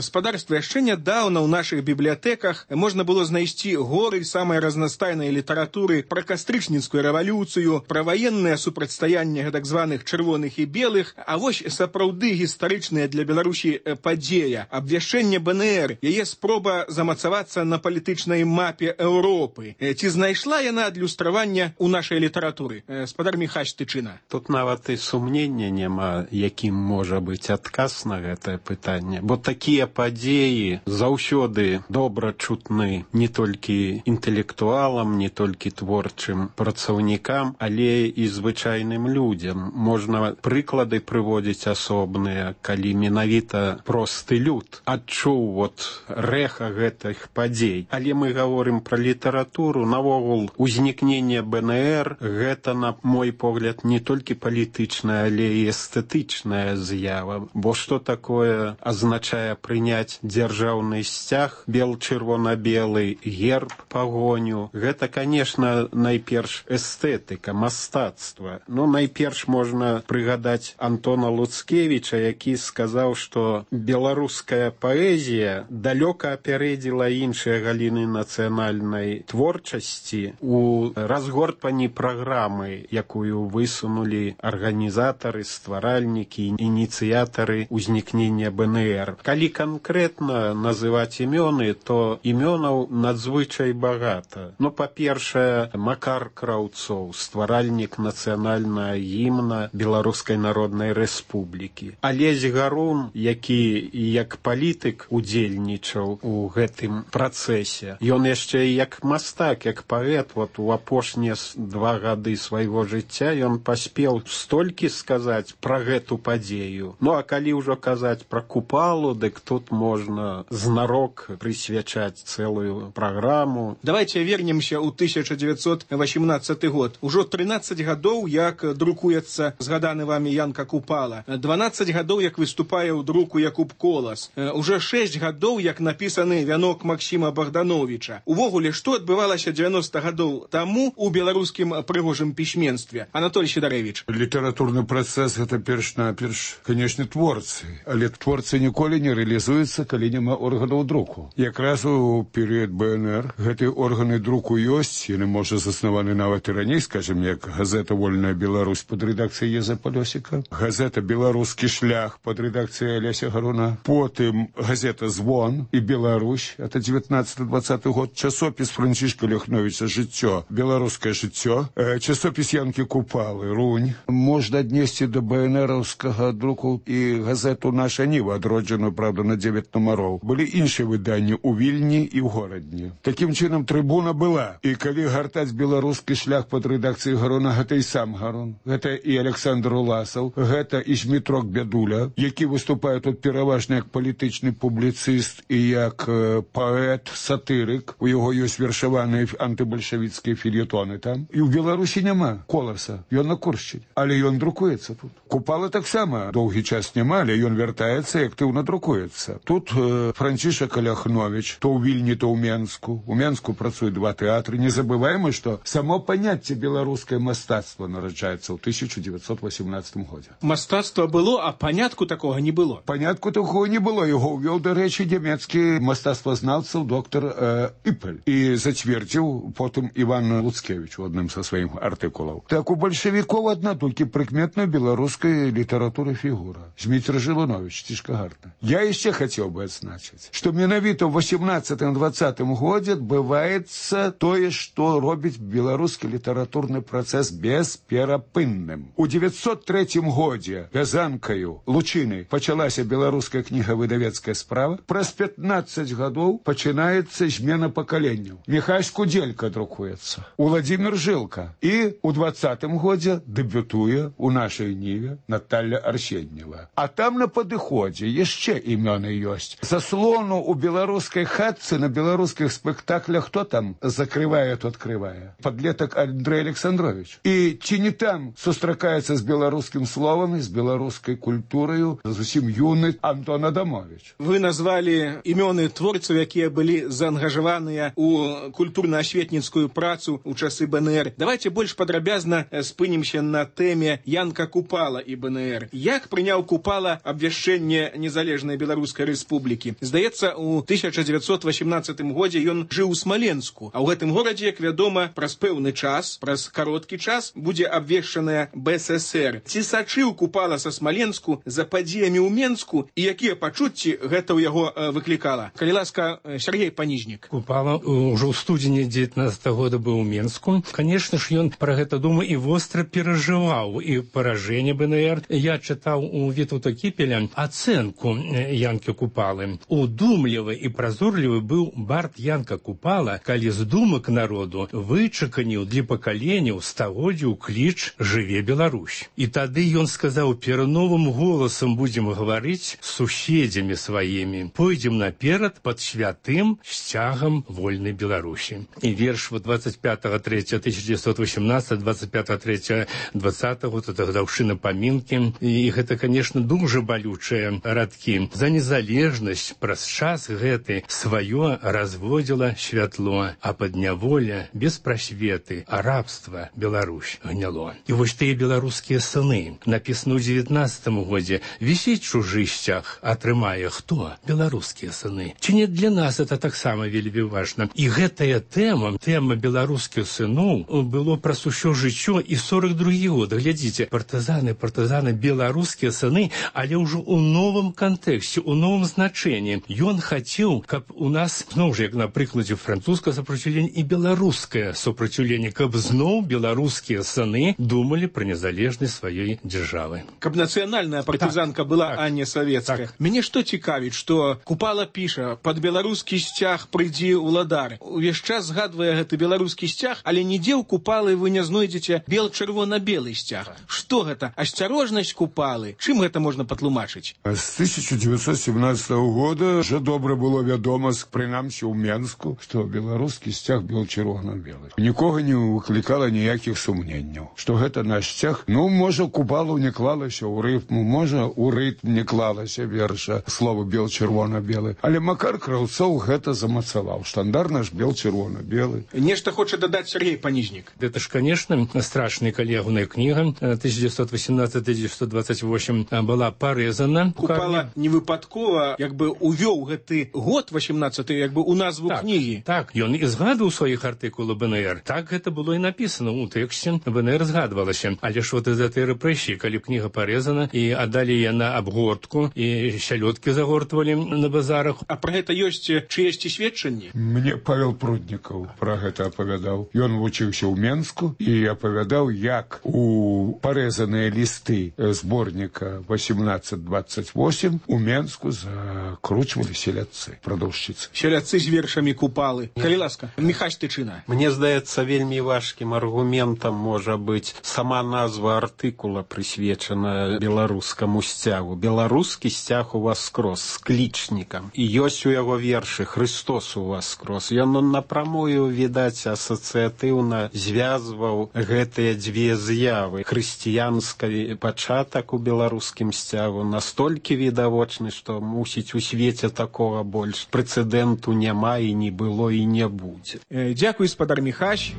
Спадарства, яшчэ нядаўна ў нашых бібліятэках можна было знайсці горы самай разнастайнай літаратуры пра кастрычніцкую рэвалюцыю, пра ваеннае супрацьстаянне гэтак званых чырвоных і белых, а вось сапраўды гістарычная для Беларусі падзея, абвяшчэнне БНР, яе спроба замацавацца на палітычнай мапе Еўропы. Ці знайшла яна адлюстравання ў нашай літаратуры? Спадар Міхась Тычына. Тут нават і сумнення няма, якім можа быць адказ на гэтае пытанне. Бо такія падзеі заўсёды добра чутны не толькі інтэлектуалам, не толькі творчым працаўнікам, але і звычайным людзям. Можна прыклады прыводзіць асобныя, калі менавіта просты люд адчуў вот рэха гэтых падзей. Але мы гаворым пра літаратуру, навогул узнікненне БНР гэта, на мой погляд, не толькі палітычная, але і эстэтычная з'ява. Бо што такое азначае прыняць дзяржаўны сцяг бел-чырвона-белы, герб, пагоню? Гэта, конечно, найперш эстэтыка, мастацтва. Ну, найперш можна прыгадаць Антона Луцкевіча, які сказаў, што беларуская паэзія далёка апярэдзіла іншыя галіны нацыянальнай творчасці у разгортванні праграмы, якую высунулі арганізатары, стваральнікі, ініцыятары ўзнікнення БНР. Калі канкрэтна называць імёны, то імёнаў надзвычай багата. Ну, па-першае, Макар Краўцоў, стваральнік нацыянальнага гімна Беларускай Народнай Рэспублікі. Алесь Гарун, які як палітык удзельнічаў у гэтым працэсе. Ён яшчэ як мастак, як паэт, вот у апошнія два гады свайго жыцця ён паспеў столькі сказаць пра гэту падзею. Ну, а калі ўжо казаць пра Купалу, дык тут можна знарок прысвячаць цэлую праграму. Давайте вернемся ў тысяча дзевяцьсот васемнаццаты год. Ужо трынаццаць гадоў, як друкуецца згаданы вами Янка Купала. дванаццаць гадоў, як выступае ў друку Якуб Колас. Уже шэсць гадоў, як напісаны вянок Максіма Богдановича. Увогуле, што адбывалася дзевяноста гадоў таму у беларускім прыгожым пісьменстве? Анатолий Сідарэвіч. Літаратурны працэс — гэта перш-наперш, канешне, творцы. Але творцы ніколі не рэалізуюцца, калі няма органаў друку. Якраз у перыяд БНР гэтыя органы друку ёсць, яны, можа, заснаваны нават і раней, скажем, як газета «Вольная Беларусь» под рэдакцыяй Еза Палёсіка, газета «Беларускі шлях» под рэдакцыяй Аляся Гаруна, потым газета «Звон» і «Беларусь», это дзевятнаццаты-дваццаты год, часопіс Францішка Ляхновіча «Жыццё», «Беларускае жыццё», э, часопіс Янкі Купалы «Рунь». Можна аднесці да БНРаўскага друку і газету «Наша Ніва», адроджаную, правда, на дзевяць нумароў. Былі іншыя выданні ў Вільні і ў горадні. Такім чынам, трыбуна была. І калі гартаць «Беларускі шлях» под рэдакцыяй Гаруна, гэта і сам Гарун, гэта і Александр Уласаў, гэта і Змітрок Бядуля, які выступае тут пераважна як палітычны публіцыст і як э, паэт, сатырык. У яго ёсць вершаваныя антыбальшавіцкія фельетоны там. І ў Беларусі няма Коласа, ён на Куршчыне, але ён друкуецца тут. Купала таксама доўгі час няма, але ён вяртаецца і актыўна друкуецца. Тут э, Францішак Ляхновіч, то ў Вільні, то ў Менску. У Менску працуе два тэатры. Не забываем, што само паняцце беларускае мастацтва нараджаецца ў тысяча дзевяцьсот васемнаццатым годзе. Мастацтва было, а панятку такога не было. Панятку такого не было. Яго ўвёў, дарэчы, нямецкі мастацтвазнаўца доктор э, Іпель. І зацвердзіў потым Іван Луцкевіч у адным са сваіх артыкулаў. Так у бальшавікоў адна толькі прыкметная беларуская літаратура фігура. Зміцер Жылунович, Цішкагарта. Я яшчэ хацеў бы адзначыць, што менавіта ў васемнаццатым-дваццатым годзе адбываецца тое, што робіць беларускі літаратурны працэс бесперапынным. У дзевяцьсот трэцім годзе вязанкаю Лучыны пачалася беларуская кнігавыдавецкая справа. Праз пятнаццаць гадоў пачынаецца змена пакаленняў. Міхась Кудзелька друкуецца, Уладзімір Жылка. І ў дваццатым годзе дэбютуе у нашай Ніве Наталля Арсеньева. А там на падыходзе яшчэ імёны ёсць. Заслону у беларускай хатцы на беларускіх спектаклях хто там закрывае, то адкрывае? Падлетак Андрэй Александрович. І ці не там сустракаецца з беларускім словам, з беларускай культураю зусім юны Антон Адамович. Вы назвалі імёны творцаў, якія былі заангажаваныя у культурна-асветніцкую працу ў часы БНР. Давайте больш падрабязна спынімся на тэме Янка Купала і БНР. Як прыняў Купала абвяшчэнне незалежнай беларускай Беларускай рэспублікі. Здаецца, у тысяча дзевяцьсот васемнаццатым годзе ён жыў у Смаленску, а ў гэтым горадзе, як вядома, праз пэўны час, праз кароткі час будзе абвешчаная бэ эс эсэр. Ці сачыў Купала са Смаленску за падзеямі ў Менску і якія пачуцці гэта ў яго э, выклікала? Калі ласка, Сергей Паніжнік. Купала ўжо ў студзені дзевятнаццатага года быў у Менску. Конечно ж, ён пра гэта думаў і востра перажываў і паражэнне бэ эн эр. Я чытаў у Вітаўта Кіпеля ацэнку Янкі Купалы. Удумлівы і празорлівы быў бард Янка Купала, калі з думак народу вычаканіў для пакаленняў стагоддзяў кліч «Жыве Беларусь». І тады ён сказаў: перновым голасам будзем гаварыць з суседзямі сваімі. Пойдзем наперад пад святым сцягам вольнай Беларусі. І верш двадцать пятого третьего тысяча девятьсот восемнадцатого, двадцать пятого третьего двадцатого, вот это годовщина поминки. І гэта, конечно, дуже балючыя радкі. За незалежнасць праз час гэты сваё разводзіла святло, а падняволя без прасветы, а рабства Беларусь гняло. І вось тыя беларускія сыны, напісана ў дзевятнаццатым годзе, вісіць чужы сцяг, атрымае хто? Беларускія сыны. Ці не для нас это таксама вельмі важна. І гэтая тэма, тэма беларускіх сыноў, было праз усё жыццё і сорок другі год. Глядзіце, партызаны, партызаны, беларускія сыны, але ўжо ў новым кантэксце, у новым значэнні. Ён хацеў, каб у нас, зноў жа, як на прыкладзе французскае супраціўленне і беларускае супраціўленне, каб зноў беларускія сыны думалі пра незалежнасць сваёй дзяржавы. Каб нацыянальная партызанка так, была, так, а не савецкая. Так. Мяне што цікавіць, што Купала піша: пад беларускі сцяг прыйдзі ўладар. Увесь час згадвае гэты беларускі сцяг, але нідзе ў Купалы вы не знойдзеце бел-чырвона-белы сцяг. Што гэта? Асцярожнасць Купалы? Чым гэта можна патлумачыць? З тысяча девятьсот семнадцатого года вже добра было вядома, прынамсі ў Менску, што беларускі сцяг бел-чырвона-белы. Нікога не выклікала ніякіх сумненняў, што гэта наш сцяг. Ну, можа, Купала не клалася ў рытму, можа, у рытм не клалася верша слова бел-чырвона-белы. Але Макар Краўцоў гэта замацаваў. Штандар наш бел-чырвона-белы. Нешта хоча дадаць Сергей Паніжнік. Это ж, конечно, страшная калегная книга. тысяча девятьсот восемнадцатый — тысяча девятьсот двадцать восьмой была порезана. Купала не выпадкова, як бы увёў гэты год восемнадцаты, як бы у назву так, кнігі. Так, ён і згадваў у сваіх артыкулах бэ эн эр. Так гэта было і напісана ў тэксце. бэ эн эр згадвалася. Але ж вот из этой рэпрэсіі, калі кніга порезана і аддалі яна абгортку і сялёдкі загортвалі на базарах. А пра гэта ёсць чыесьці сведчанні? Мне Павел Пруднікаў пра гэта апавядаў. Ён вучыўся ў Менску і апавядаў, як у парэзаныя лісты зборніка восемнадцать двадцать восемь у Менску закручвалі селядцы, прадаўшчыцы. Селядцы з вершамі Купалы. Калі ласка, Міхась Тычына. Мне здаецца, вельмі важкім аргументам можа быць сама назва артыкула, прысвечана беларускаму сцягу. Беларускі сцяг у вас скрозь, з клічнікам. І ёсць у яго вершы «Христос у вас скрозь». Ён напрамую, відаць, асацыятыўна звязваў гэтыя дзве з'явы. Хрысціянскі пачатак у беларускім сцягу настолькі відавочны, што мусіць у свеце такога больш прэцэдэнту няма і не было і не будзе. Э, дзякуй, спадар Міхась.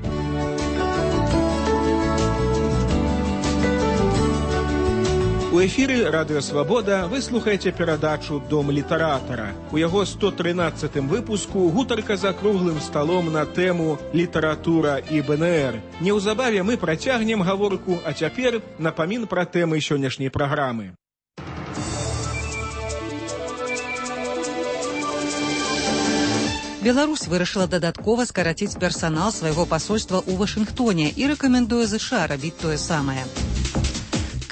У эфіры Радыё Свабода вы слухаеце перадачу «Дом літаратара». У яго сто трынаццатым выпуску гутарка за круглым сталом на тэму «Літаратура і бэ эн эр». Неўзабаве мы працягнем гаворку, а цяпер напамін пра тэмы сённяшняй праграмы. Беларусь вырашыла дадаткова скараціць персанал свайго пасольства ў Вашынгтоне і рэкамендуе ЗША рабіць тое самае.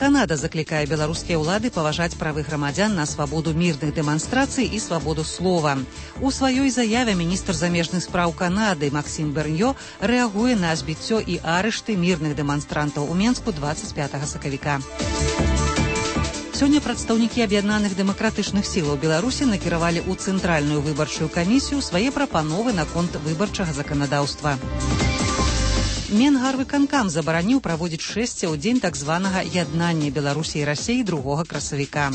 Канада заклікае беларускія ўлады паважаць правы грамадзян на свабоду мірных дэманстрацый і свабоду слова. У сваёй заяве міністр замежных спраў Канады Максім Берньё рэагуе на збіццё і арышты мірных дэманстрантаў у Менску двадцать пятого сакавіка. Сёння прадстаўнікі аб'яднаных дэмакратычных сілаў Беларусі накіравалі ў цэнтральную выбарчую камісію свае прапановы наконт выбарчага заканадаўства. Менгарвыканкам забараніў праводзіць шэсце ў дзень так званага яднання Беларусі і Расіі другога красавіка.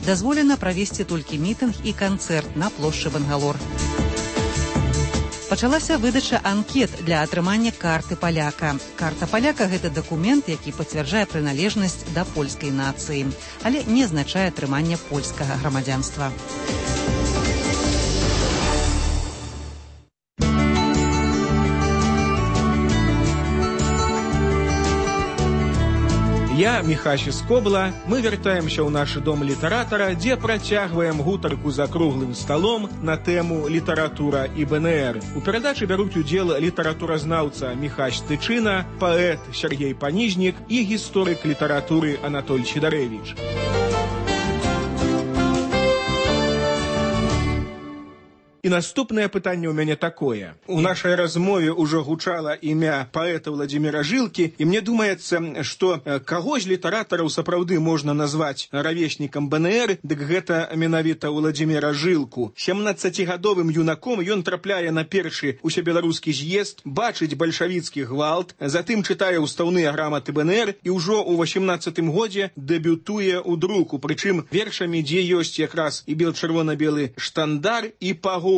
Дазволена правесці толькі мітынг і канцэрт на плошчы Бангалор. Пачалася выдача анкет для атрымання карты паляка. Карта паляка – гэта дакумент, які пацвярджае прыналежнасць да польскай нацыі, але не азначае атрымання польскага грамадзянства. Я Міхась Скобла. Мы вяртаемся ў наш дом літаратара, дзе працягваем гутарку за круглым сталом на тэму літаратура і БНР. У перадачы бяруць удзел літаратуразнаўца Міхась Тычына, паэт Сергей Панізнік і гісторык літаратуры Анатоль Сідарэвіч. І наступнае пытанне ў мяне такое. У нашай размове ўжо гучала імя паэта Владзіміра Жылкі, і мне думаецца, што каго з літаратараў сапраўды можна назваць равеснікам БНР, дык гэта менавіта Владзіміра Жылку. сямнаццацігадовым юнаком ён трапляе на першы усебеларускі з'езд, бачыць бальшавіцкі гвалт, затым чытае ўстаўныя граматы БНР і ўжо ў васемнаццатым годзе дэбютуе ў друку, прычым вершамі, дзе ёсць якраз і бел-чырвона-белы штандар і пагоня.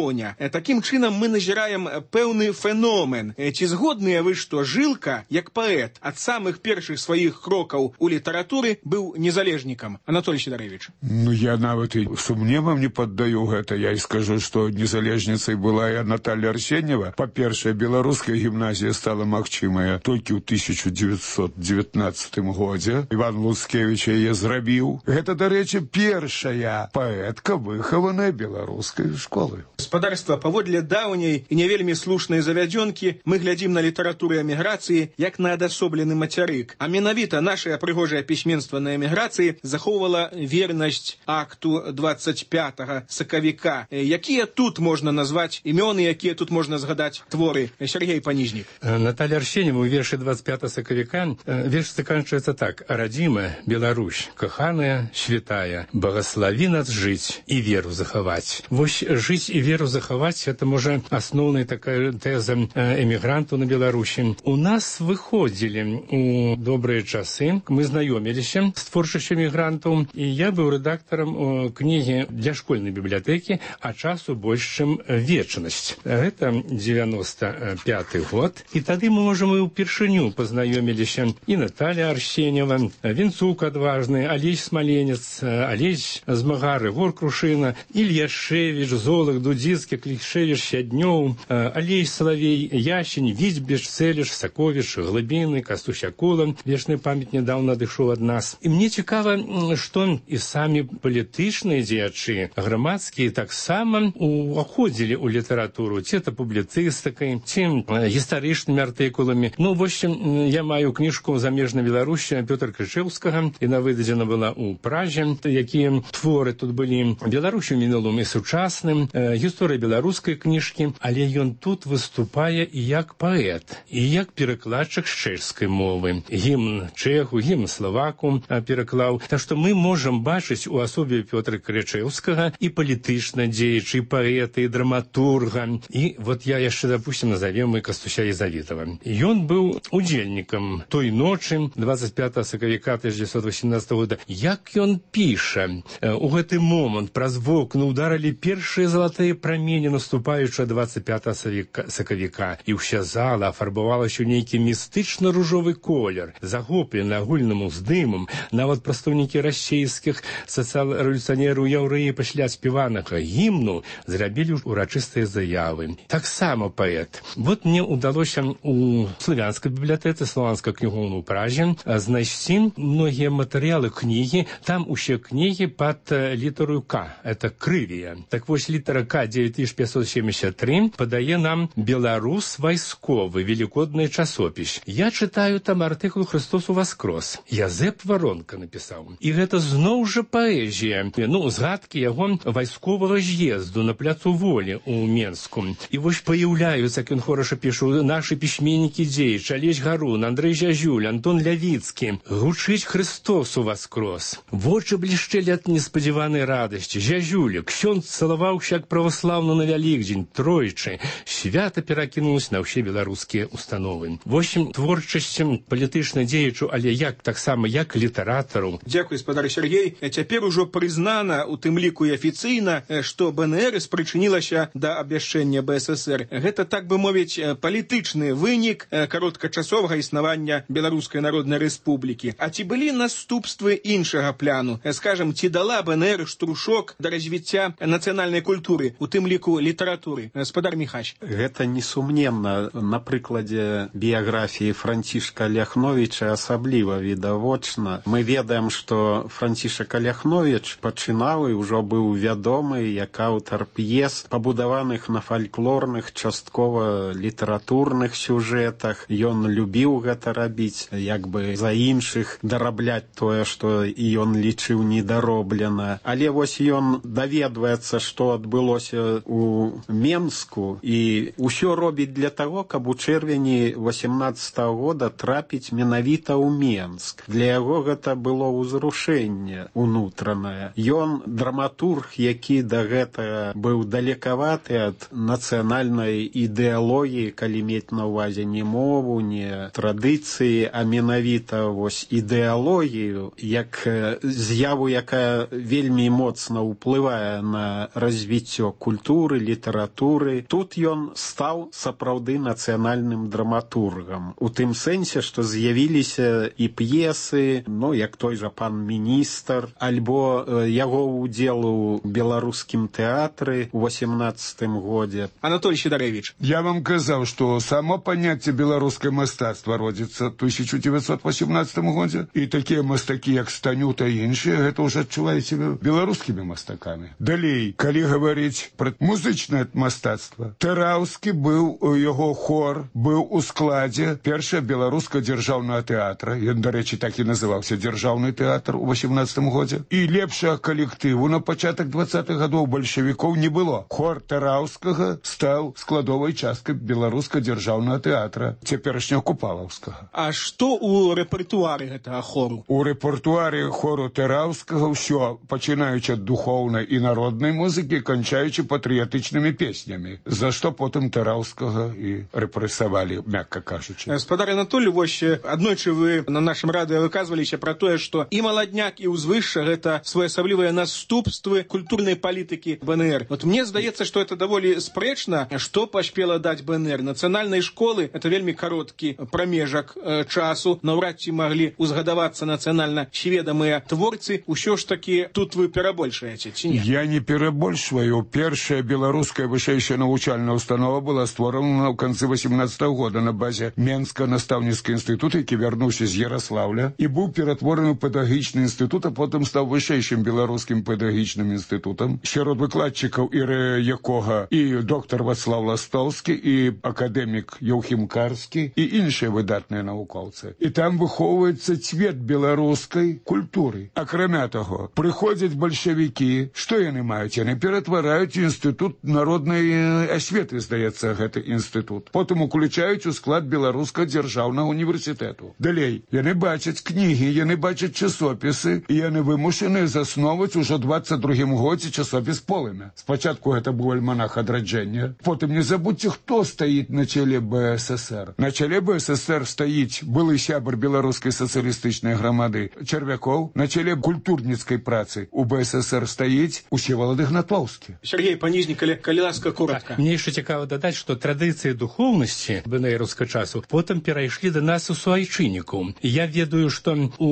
Такім чынам мы назіраем пэўны феномен. Ці згодныя вы, што Жылка, як паэт, ад самых першых сваіх крокаў у літаратуры быў незалежнікам? Анатоль Сідарэвіч. Ну, я нават і сумневам не паддаю гэта. Я і скажу, што незалежніцай была і Наталья Арсеньева. Па-першае, беларуская гімназія стала магчымая толькі ў тысяча дзевяцьсот дзевятнаццатым годзе. Іван Луцкевіч яе зрабіў. Гэта, дарэчы, першая паэтка, выхаваная беларускай школы. Гаспадарства, паводле даўняй і не вельмі слушнай завядзёнкі, мы глядзім на літаратуру эміграцыі як на адасоблены мацярык. А менавіта нашае прыгожае пісьменства на эміграцыі захоўвала вернасць акту двадцать пятага сакавіка. Якія тут можна назваць імёны, якія тут можна згадаць творы? Сергей Панізнік. Наталья Арсеньева у вершы двадцать пятага сакавіка верш заканчивается так. «Родимая Беларусь, каханая, святая, благослови нас жить и веру заховать». Вось жить и веру захаваць, это, можа, асноўная такая тэза эмігрантаў на Беларусі. У нас выходзілі у добрыя часы, мы знаёміліся з творчасцю эмігрантаў, і я быў рэдактарам кнігі для школьнай бібліятэкі, а часу больш, чым вечнасць. Гэта девяносто пятый год, і тады мы, можа, мы ўпершыню пазнаёміліся і Наталья Арсеньева, Вінцук адважны, Алесь Смаленец, Алесь Змагар, Егор Крушына, Ілья Шевіч, Золах, Дудзіцкі, Клішевіч, Сяднёў, Алей Салавей, Ящень, Віцьбеч, Цэліш, Саковіч, Глыбіны, Кастусь Акула. Вечная памяць нядаўна адышоў ад нас. І мне цікава, што і самі палітычныя дзеячы, грамадскія, таксама уходзілі ў літаратуру, ці это публіцыстыкай, ці гістарычнымі артыкуламі. Ну, вось я маю кніжку «Замежная Беларусь» Пётра Крычэўскага, яна выдадзена была ў Празе, якія творы тут былі Беларусь у мінулым і сучасным, гісторыя беларускай кніжкі, але ён тут выступае і як паэт, і як перакладчык з чэшскай мовы. Гімн чэху, гімн славаку пераклаў. Так што мы можам бачыць у асобе Пётра Крычэўскага і палітычна дзеячы, і паэта, і драматурга. І вот я яшчэ, допустим, назовем і Кастуся Езавітава. Ён быў удзельнікам той ночы двадцать пятага сакавіка тысяча девятьсот восемнадцатого года. Як ён піша, у гэты момант праз вокны ударылі першыя залатыя прамені, наступаючы двадцать пятага сакавіка, і ўся зала афарбавалася ў нейкі містычна-ружовы колер, захоплены агульным уздымам. Нават прадстаўнікі расійскіх сацыял-рэвалюцыянераў яўрэі пасля спяванага гімну зрабілі урачыстыя заявы. Таксама паэт. Вот мне удалося у славянскай бібліятэцы, славянскай кнігоўны ў Празе, знайсці многія матэрыялы кнігі. Там усе кнігі пад літару К. Это крывія. Так вось літара К девять тысяч пятьсот семьдесят три падае нам «Беларус вайсковы», великодны часопіс. Я чытаю там артыкул «Христос уваскрос». Язэп Варонка напісаў. І гэта зноў жа паэзія. Ну, згадкі яго вайсковага з'езду на пляцу Волі ў Менску. І вось паяўляюцца, як ён хораша пішу, нашы пісьменнікі дзеячы, Алесь Гарун, Андрэй Зязюль, Антон Лявіцкі. Гучыць «Христос уваскрос». Вочы блішчэлі ад неспадзяванай радасці. Зязюля, ксёндз цалаваўся як праваслаўны на Вялікдзень, тройчы. Свята перакінулася на ўсе беларускія установы. Вось творчасць палітычна дзеячу, але як таксама як літаратару. Дзякуй, спадар Сергей. Цяпер ужо прызнана, у тым ліку і афіцыйна, што БНР спрычынілася да абвяшчэння БССР. Гэта, так бы мовіць, палітычны вынік кароткачасовага існавання Беларускай Народнай Рэспублікі. А ці былі наступствы іншага пляну? Скажам, ці дала БНР штрушок да развіцця нацыянальнай культуры ў у тым ліку літаратуры. Гаспадар Міхась. Гэта несумненна. На прыкладзе біяграфіі Францішка Ляхновіча асабліва відавочна. Мы ведаем, што Францішак Ляхновіч пачынаў і ўжо быў вядомы як аўтар п'ес, пабудаваных на фальклорных, часткова літаратурных сюжэтах. Ён любіў гэта рабіць, як бы за іншых дарабляць тое, што і ён лічыў недароблена. Але вось ён даведваецца, што адбылося ў Менску, і ўсё робіць для таго, каб у чэрвені восемнаццатага года трапіць менавіта ў Менск. Для яго гэта было ўзрушэнне унутранае. Ён драматург, які да гэтага быў далекаваты ад нацыянальнай ідэалогіі, калі мець на ўвазе не мову, не традыцыі, а менавіта вось ідэалогію, як з'яву, якая вельмі моцна ўплывае на развіццё культуры, літаратуры. Тут ён стаў сапраўды нацыянальным драматургам. У тым сэнсе, што з'явіліся і п'есы, ну, як той жа пан міністр, альбо э, яго ўдзел у беларускім тэатры ў восемнаццатым годзе. Анатолий Сидорович. Я вам казаў, што само паняцце беларускае мастацтва родзіцца ў тысяча девятьсот восемнадцатым годзе, і такія мастакі, як Станюта і іншыя, гэта ўжо адчуваеце беларускімі мастакамі. Далей, калі гаварыць пра музычнае мастацтва, Тараўскі быў, яго хор быў у складзе першага беларускага дзяржаўнага тэатра, ён, дарэчы, так і называўся дзяржаўны тэатр у восемнаццатым годзе, і лепшага калектыву на пачатак двадцатых гадоў бальшавікоў не было. Хор Тараўскага стаў складовай часткай беларускага дзяржаўнага тэатра, цяперашняга Купалаўскага. А што ў рэпертуары гэтага хору? У рэпертуары хору Тараўскага ўсё, пачынаючы ад духоўнай і народнай музыкі, канчаючы патрыятычнымі песнямі, за што потым Тараўскага і рэпрэсавалі, мякка кажучы. Гаспадар Анатолий, вось аднойчы вы на нашым радыё выказваліся пра тое, што і маладняк, і ўзвышша гэта своеасаблівыя наступствы культурнай палітыкі БНР. Вот мне здаецца, што это даволі спрэчна, што паспела даць БНР. Нацыянальнай школы это вельмі кароткі прамежак э, часу, наўрад ці маглі узгадавацца нацыянальна сведамыя творцы. Усё ж такі тут вы перабольшаеце, ці не? Я не перабольшваю. Першая беларуская вышэйшая навучальная установа была створана ў канцы восемнаццатага года на базе Менска настаўніцкі інстытут, які вярнуўся з Ярослаўля і быў ператвораны ў педагагічны інстытут, а потым стаў вышэйшым беларускім педагагічным інстытутам. Сярод выкладчыкаў і якога і доктар Вацлаў Ластоўскі, і акадэмік Яўхім Карскі, і іншыя выдатныя навукоўцы. І там выхоўваецца цвет беларускай культуры. Акрамя таго, прыходзяць бальшавікі, што яны маюць? Яны ператвараюць інстытут народнай асветы, здаецца, гэты інстытут. Потым уключаюць у склад беларускага дзяржаўнага універсітэту. Далей, яны бачаць кнігі, яны бачаць часопісы, і яны вымушаны засноваць ужо двадцать другім годзе часопіс «Полымя». Спачатку гэта быў альманах адраджэння. Потым не забудьце, хто стаіць на чале БССР. На чале БССР стаіць былы сябар беларускай сацыялістычнай грамады Чарвякоў, на чале культурніцкай працы у БССР стаіць Усевалад Ігнатоўскі. Сергей Панізнік, калі, калі ласка, коротка. Мне яшчэ цікава дадаць, што традыцыі духоўнасці бэнэраўскага часу потым перайшлі да нас у суайчынніку. Я ведаю, што у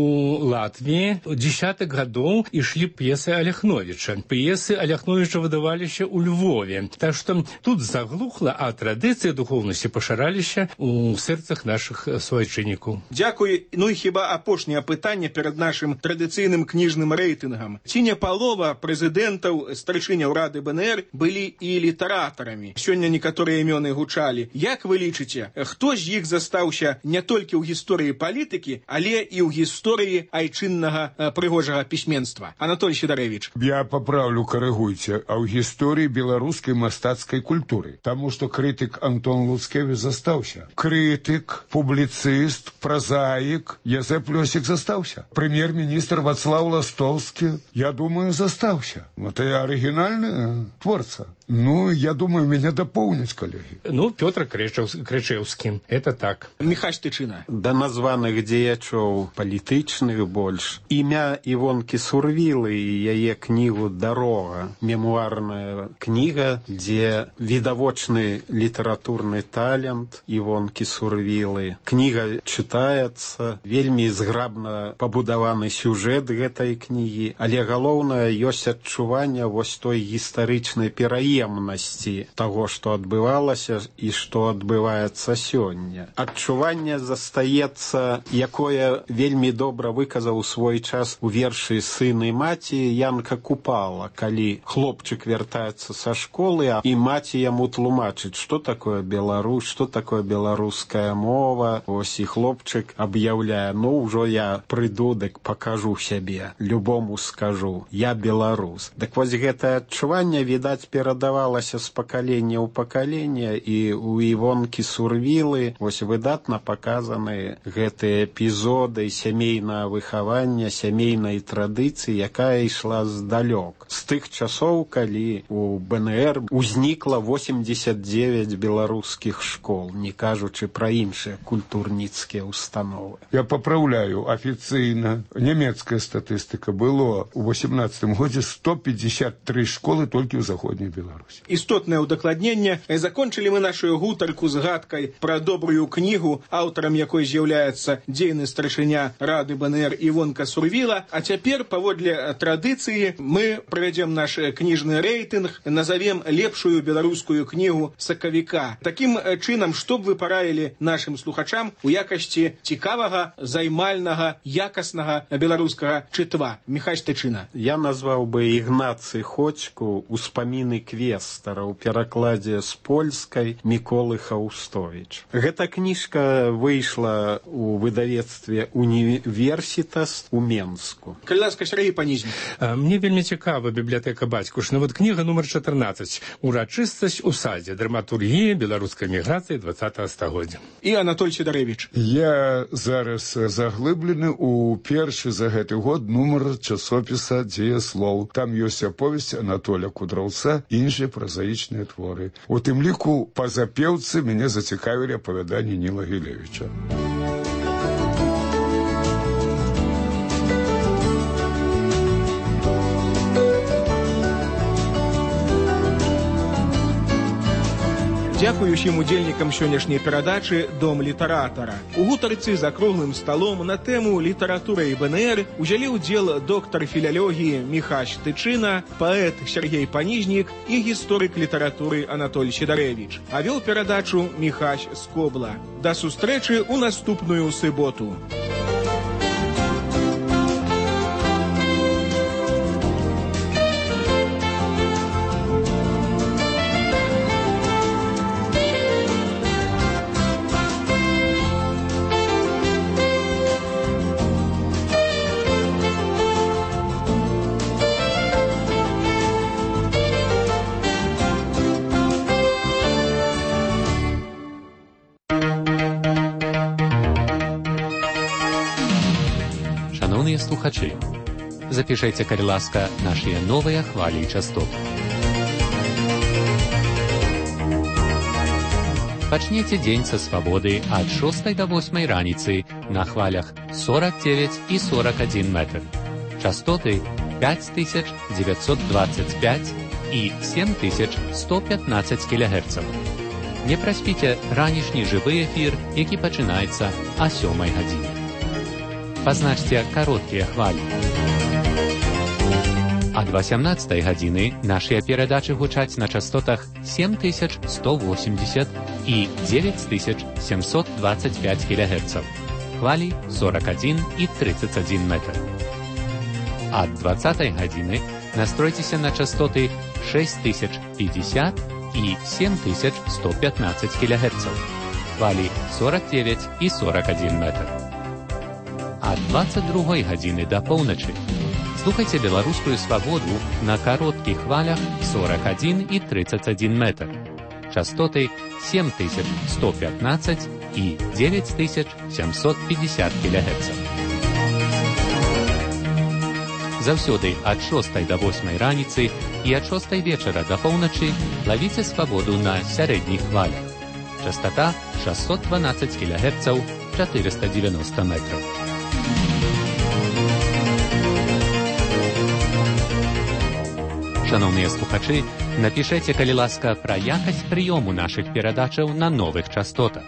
Латвіі дзесятых гадоў ішлі п'есы Аляхновіча. П'есы Аляхновіча выдаваліся ў Львове. Так што тут заглухла, а традыцыі духоўнасці пашыраліся у сэрцах нашых суайчыннікаў. Дзякуй. Ну і хіба апошняе пытанне перад нашым традыцыйным кніжным рэйтынгам. Ці не палова прэзідэнтаў, старшыняў Рады БНР былі і літаратарамі? Сёння некаторыя імёны гучалі. Як вы лічыце, хто з іх застаўся не толькі ў гісторыі палітыкі, але і ў гісторыі айчыннага прыгожага пісьменства? Анатолий Сидорович. Я паправлю, карэгуйце, а ў гісторыі беларускай мастацкай культуры. Таму што крытык Антон Луцкевіч застаўся. Крытык, публіцыст, празаік Язэп Лёсік застаўся. Прэм'ер-міністр Вацлаў Ластоўскі, я думаю, застаўся. Это арыгінальны творца. Ну, я думаю, меня дополнить, коллеги. Ну, Петр Крычевский. Это так. Михась Тычина. Да названых дзеячоў палітычных больш. Імя Івонкі Сурвілы і яе кнігу «Дарога». Мемуарная кніга, дзе відавочны літаратурны талент Івонкі Сурвілы. Кніга чытаецца, вельмі зграбна пабудаваны сюжэт гэтай кнігі, але галоўнае ёсць адчуванне вось той гістарычнай пераемнасці прыемнасці таго, што адбывалася і што адбываецца сёння. Адчуванне застаецца, якое вельмі добра выказаў у свой час у вершы «Сын і маці» Янка Купала, калі хлопчык вяртаецца са школы, і маці яму тлумачыць, што такое Беларусь, што такое беларуская мова. Ось і хлопчык аб'яўляе: ну, ўжо я прыйду, дык пакажу сябе, любому скажу, я беларус. Дык вось гэтае адчуванне, відаць, перадавалася з пакалення ў пакаленне, і ў Івонкі Сурвілы вось выдатна паказаны гэтыя эпізоды сямейнага выхавання, сямейнай традыцыі, якая ішла здалёк. З тых часоў, калі у БНР узнікла восемьдесят девять беларускіх школ, не кажучы пра іншыя культурніцкія установы. Я поправляю, официально немецкая статистика было у восемнадцатым годзе сто пятьдесят три школы толькі ў заходняй Беларусі. Істотнае ўдакладненне. Закончылі мы нашу гутарку згадкай пра добрую кнігу, аўтарам якой з'яўляецца дзейны старшыня Рады БНР Івонка Сурвіла. А цяпер, паводле традыцыі, мы правядзем наш кніжны рэйтынг, назовем лепшую беларускую кнігу сакавіка. Такім чынам, што б вы параілі нашым слухачам у якасці цікавага, займальнага, якаснага беларускага чытва? Міхась Тычына. Я назваў бы Ігнацый Ходзьку «Успаміны квестара» у перакладзе з польскай Міколы Хаустовіч. Гэта кніжка выйшла у выдавецтве «Універсітас» у Менску. Калі ласка, Сергей Панізін. Мне вельмі цікава бібліятэка бацькушна. Вот кніга нумар чатырнаццаць. «Урачыстасць у садзе. Драматургія беларускай міграцыі двадцатага стагоддзя». І Анатоль Сідарэвіч. Я зараз заглыблены у першы за гэты год нумар часопіса «Дзеяслоў». Там ёсць аповесць Анатоля Кудраўца і іншыя празаічныя творы. У тым ліку па запеўцы мяне зацікавілі апавяданні Ніла Гілевіча. Дзякую ўсім удзельнікам сённяшняй перадачы «Дом літаратара». У гутарцы за круглым сталом на тэму літаратура і БНР узялі ўдзел доктар філалогіі Міхась Тычына, паэт Сергей Панізнік і гісторык літаратуры Анатоль Сідарэвіч. А вёў перадачу Міхась Скобла. Да сустрэчы ў наступную суботу. Слухачы, запішайце, калі ласка, нашыя новыя хвалі і частоты. Пачніце дзень са свабоды ад шостай да восьмай раніцы на хвалях сорок девять і сорок один метр. Частоты пять тысяч девятьсот двадцать пять і семь тысяч сто пятнадцать кілогерцаў. Не праспіце ранішні жывы эфір, які пачынаецца а сёмай гадзіне. Пазначце кароткія хвалі. Ад васямнаццатай гадзіны нашыя перадачы гучаць на частотах семь тысяч сто восемьдесят і девять тысяч семьсот двадцать пять кілогерцаў. Хвалі сорок один і тридцать один метр. Ад двадцатай гадзіны настройцеся на частоты шесть тысяч пятьдесят і семь тысяч сто пятнадцать кілогерцаў. Хвалі сорок девять і сорок один метр. Ад двадцать другой гадзіны да поўначы слухайце беларускую свабоду на кароткіх хвалях сорок один і тридцать один метр. Частоты семь тысяч сто пятнадцать і девять тысяч семьсот пятьдесят кілогерцаў. Заўсёды ад шостай да восьмай раніцы і ад шостай вечара да поўначы лавіце свабоду на сярэдніх хвалях. Частота шестьсот двенадцать кілогерцаў, четыреста девяносто метров. Шановныя слухачы, напішайце, калі ласка, пра якасць прыёму нашых перадачаў на новых частотах.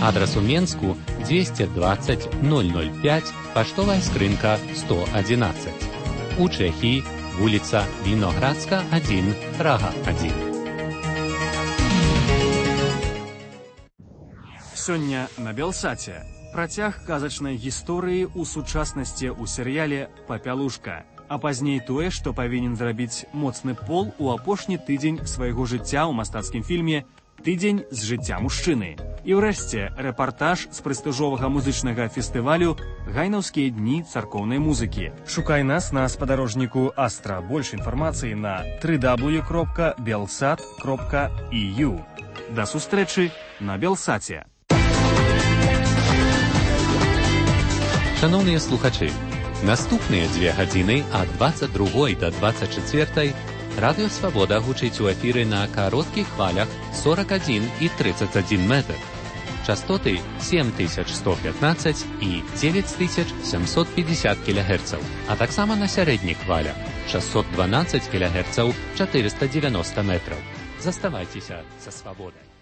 Адрас у Менску двести двадцать ноль ноль пять, паштовая скрынка сто одиннадцать. У Чэхіі вуліца Віноградска, адзін, Прага, адзін. Сёння на Белсаце працяг казачнай гісторыі ў сучаснасці ў серыяле «Папялушка», а пазней тое, што павінен зрабіць моцны пол у апошні тыдзень свайго жыцця ў мастацкім фільме «Тыдзень з жыцця мужчыны». І ўрэшце рэпартаж з прэстыжовага музычнага фестывалю «Гайнаўскія дні царкоўнай музыкі». Шукай нас на спадарожніку Астра. Больш інфармацыі на дабл ю дабл ю дабл ю кропка белсат кропка і ю. Да сустрэчы на Белсаце. Шановныя слухачы, наступныя дзве гадзіны ад дваццаць другой да дваццаць чацвёртай Радыё Свабода гучыць у эфіры на кароткіх хвалях сорок адзін і тридцать адзін метр. Частоты сем тысяч сто пятнадцать і девять тысяч семьсот пятьдесят кілогерцаў, а таксама на сярэдніх хвалях шестьсот двенадцать кілогерцаў, четыреста девяносто метров. Заставайцеся са Свабодай.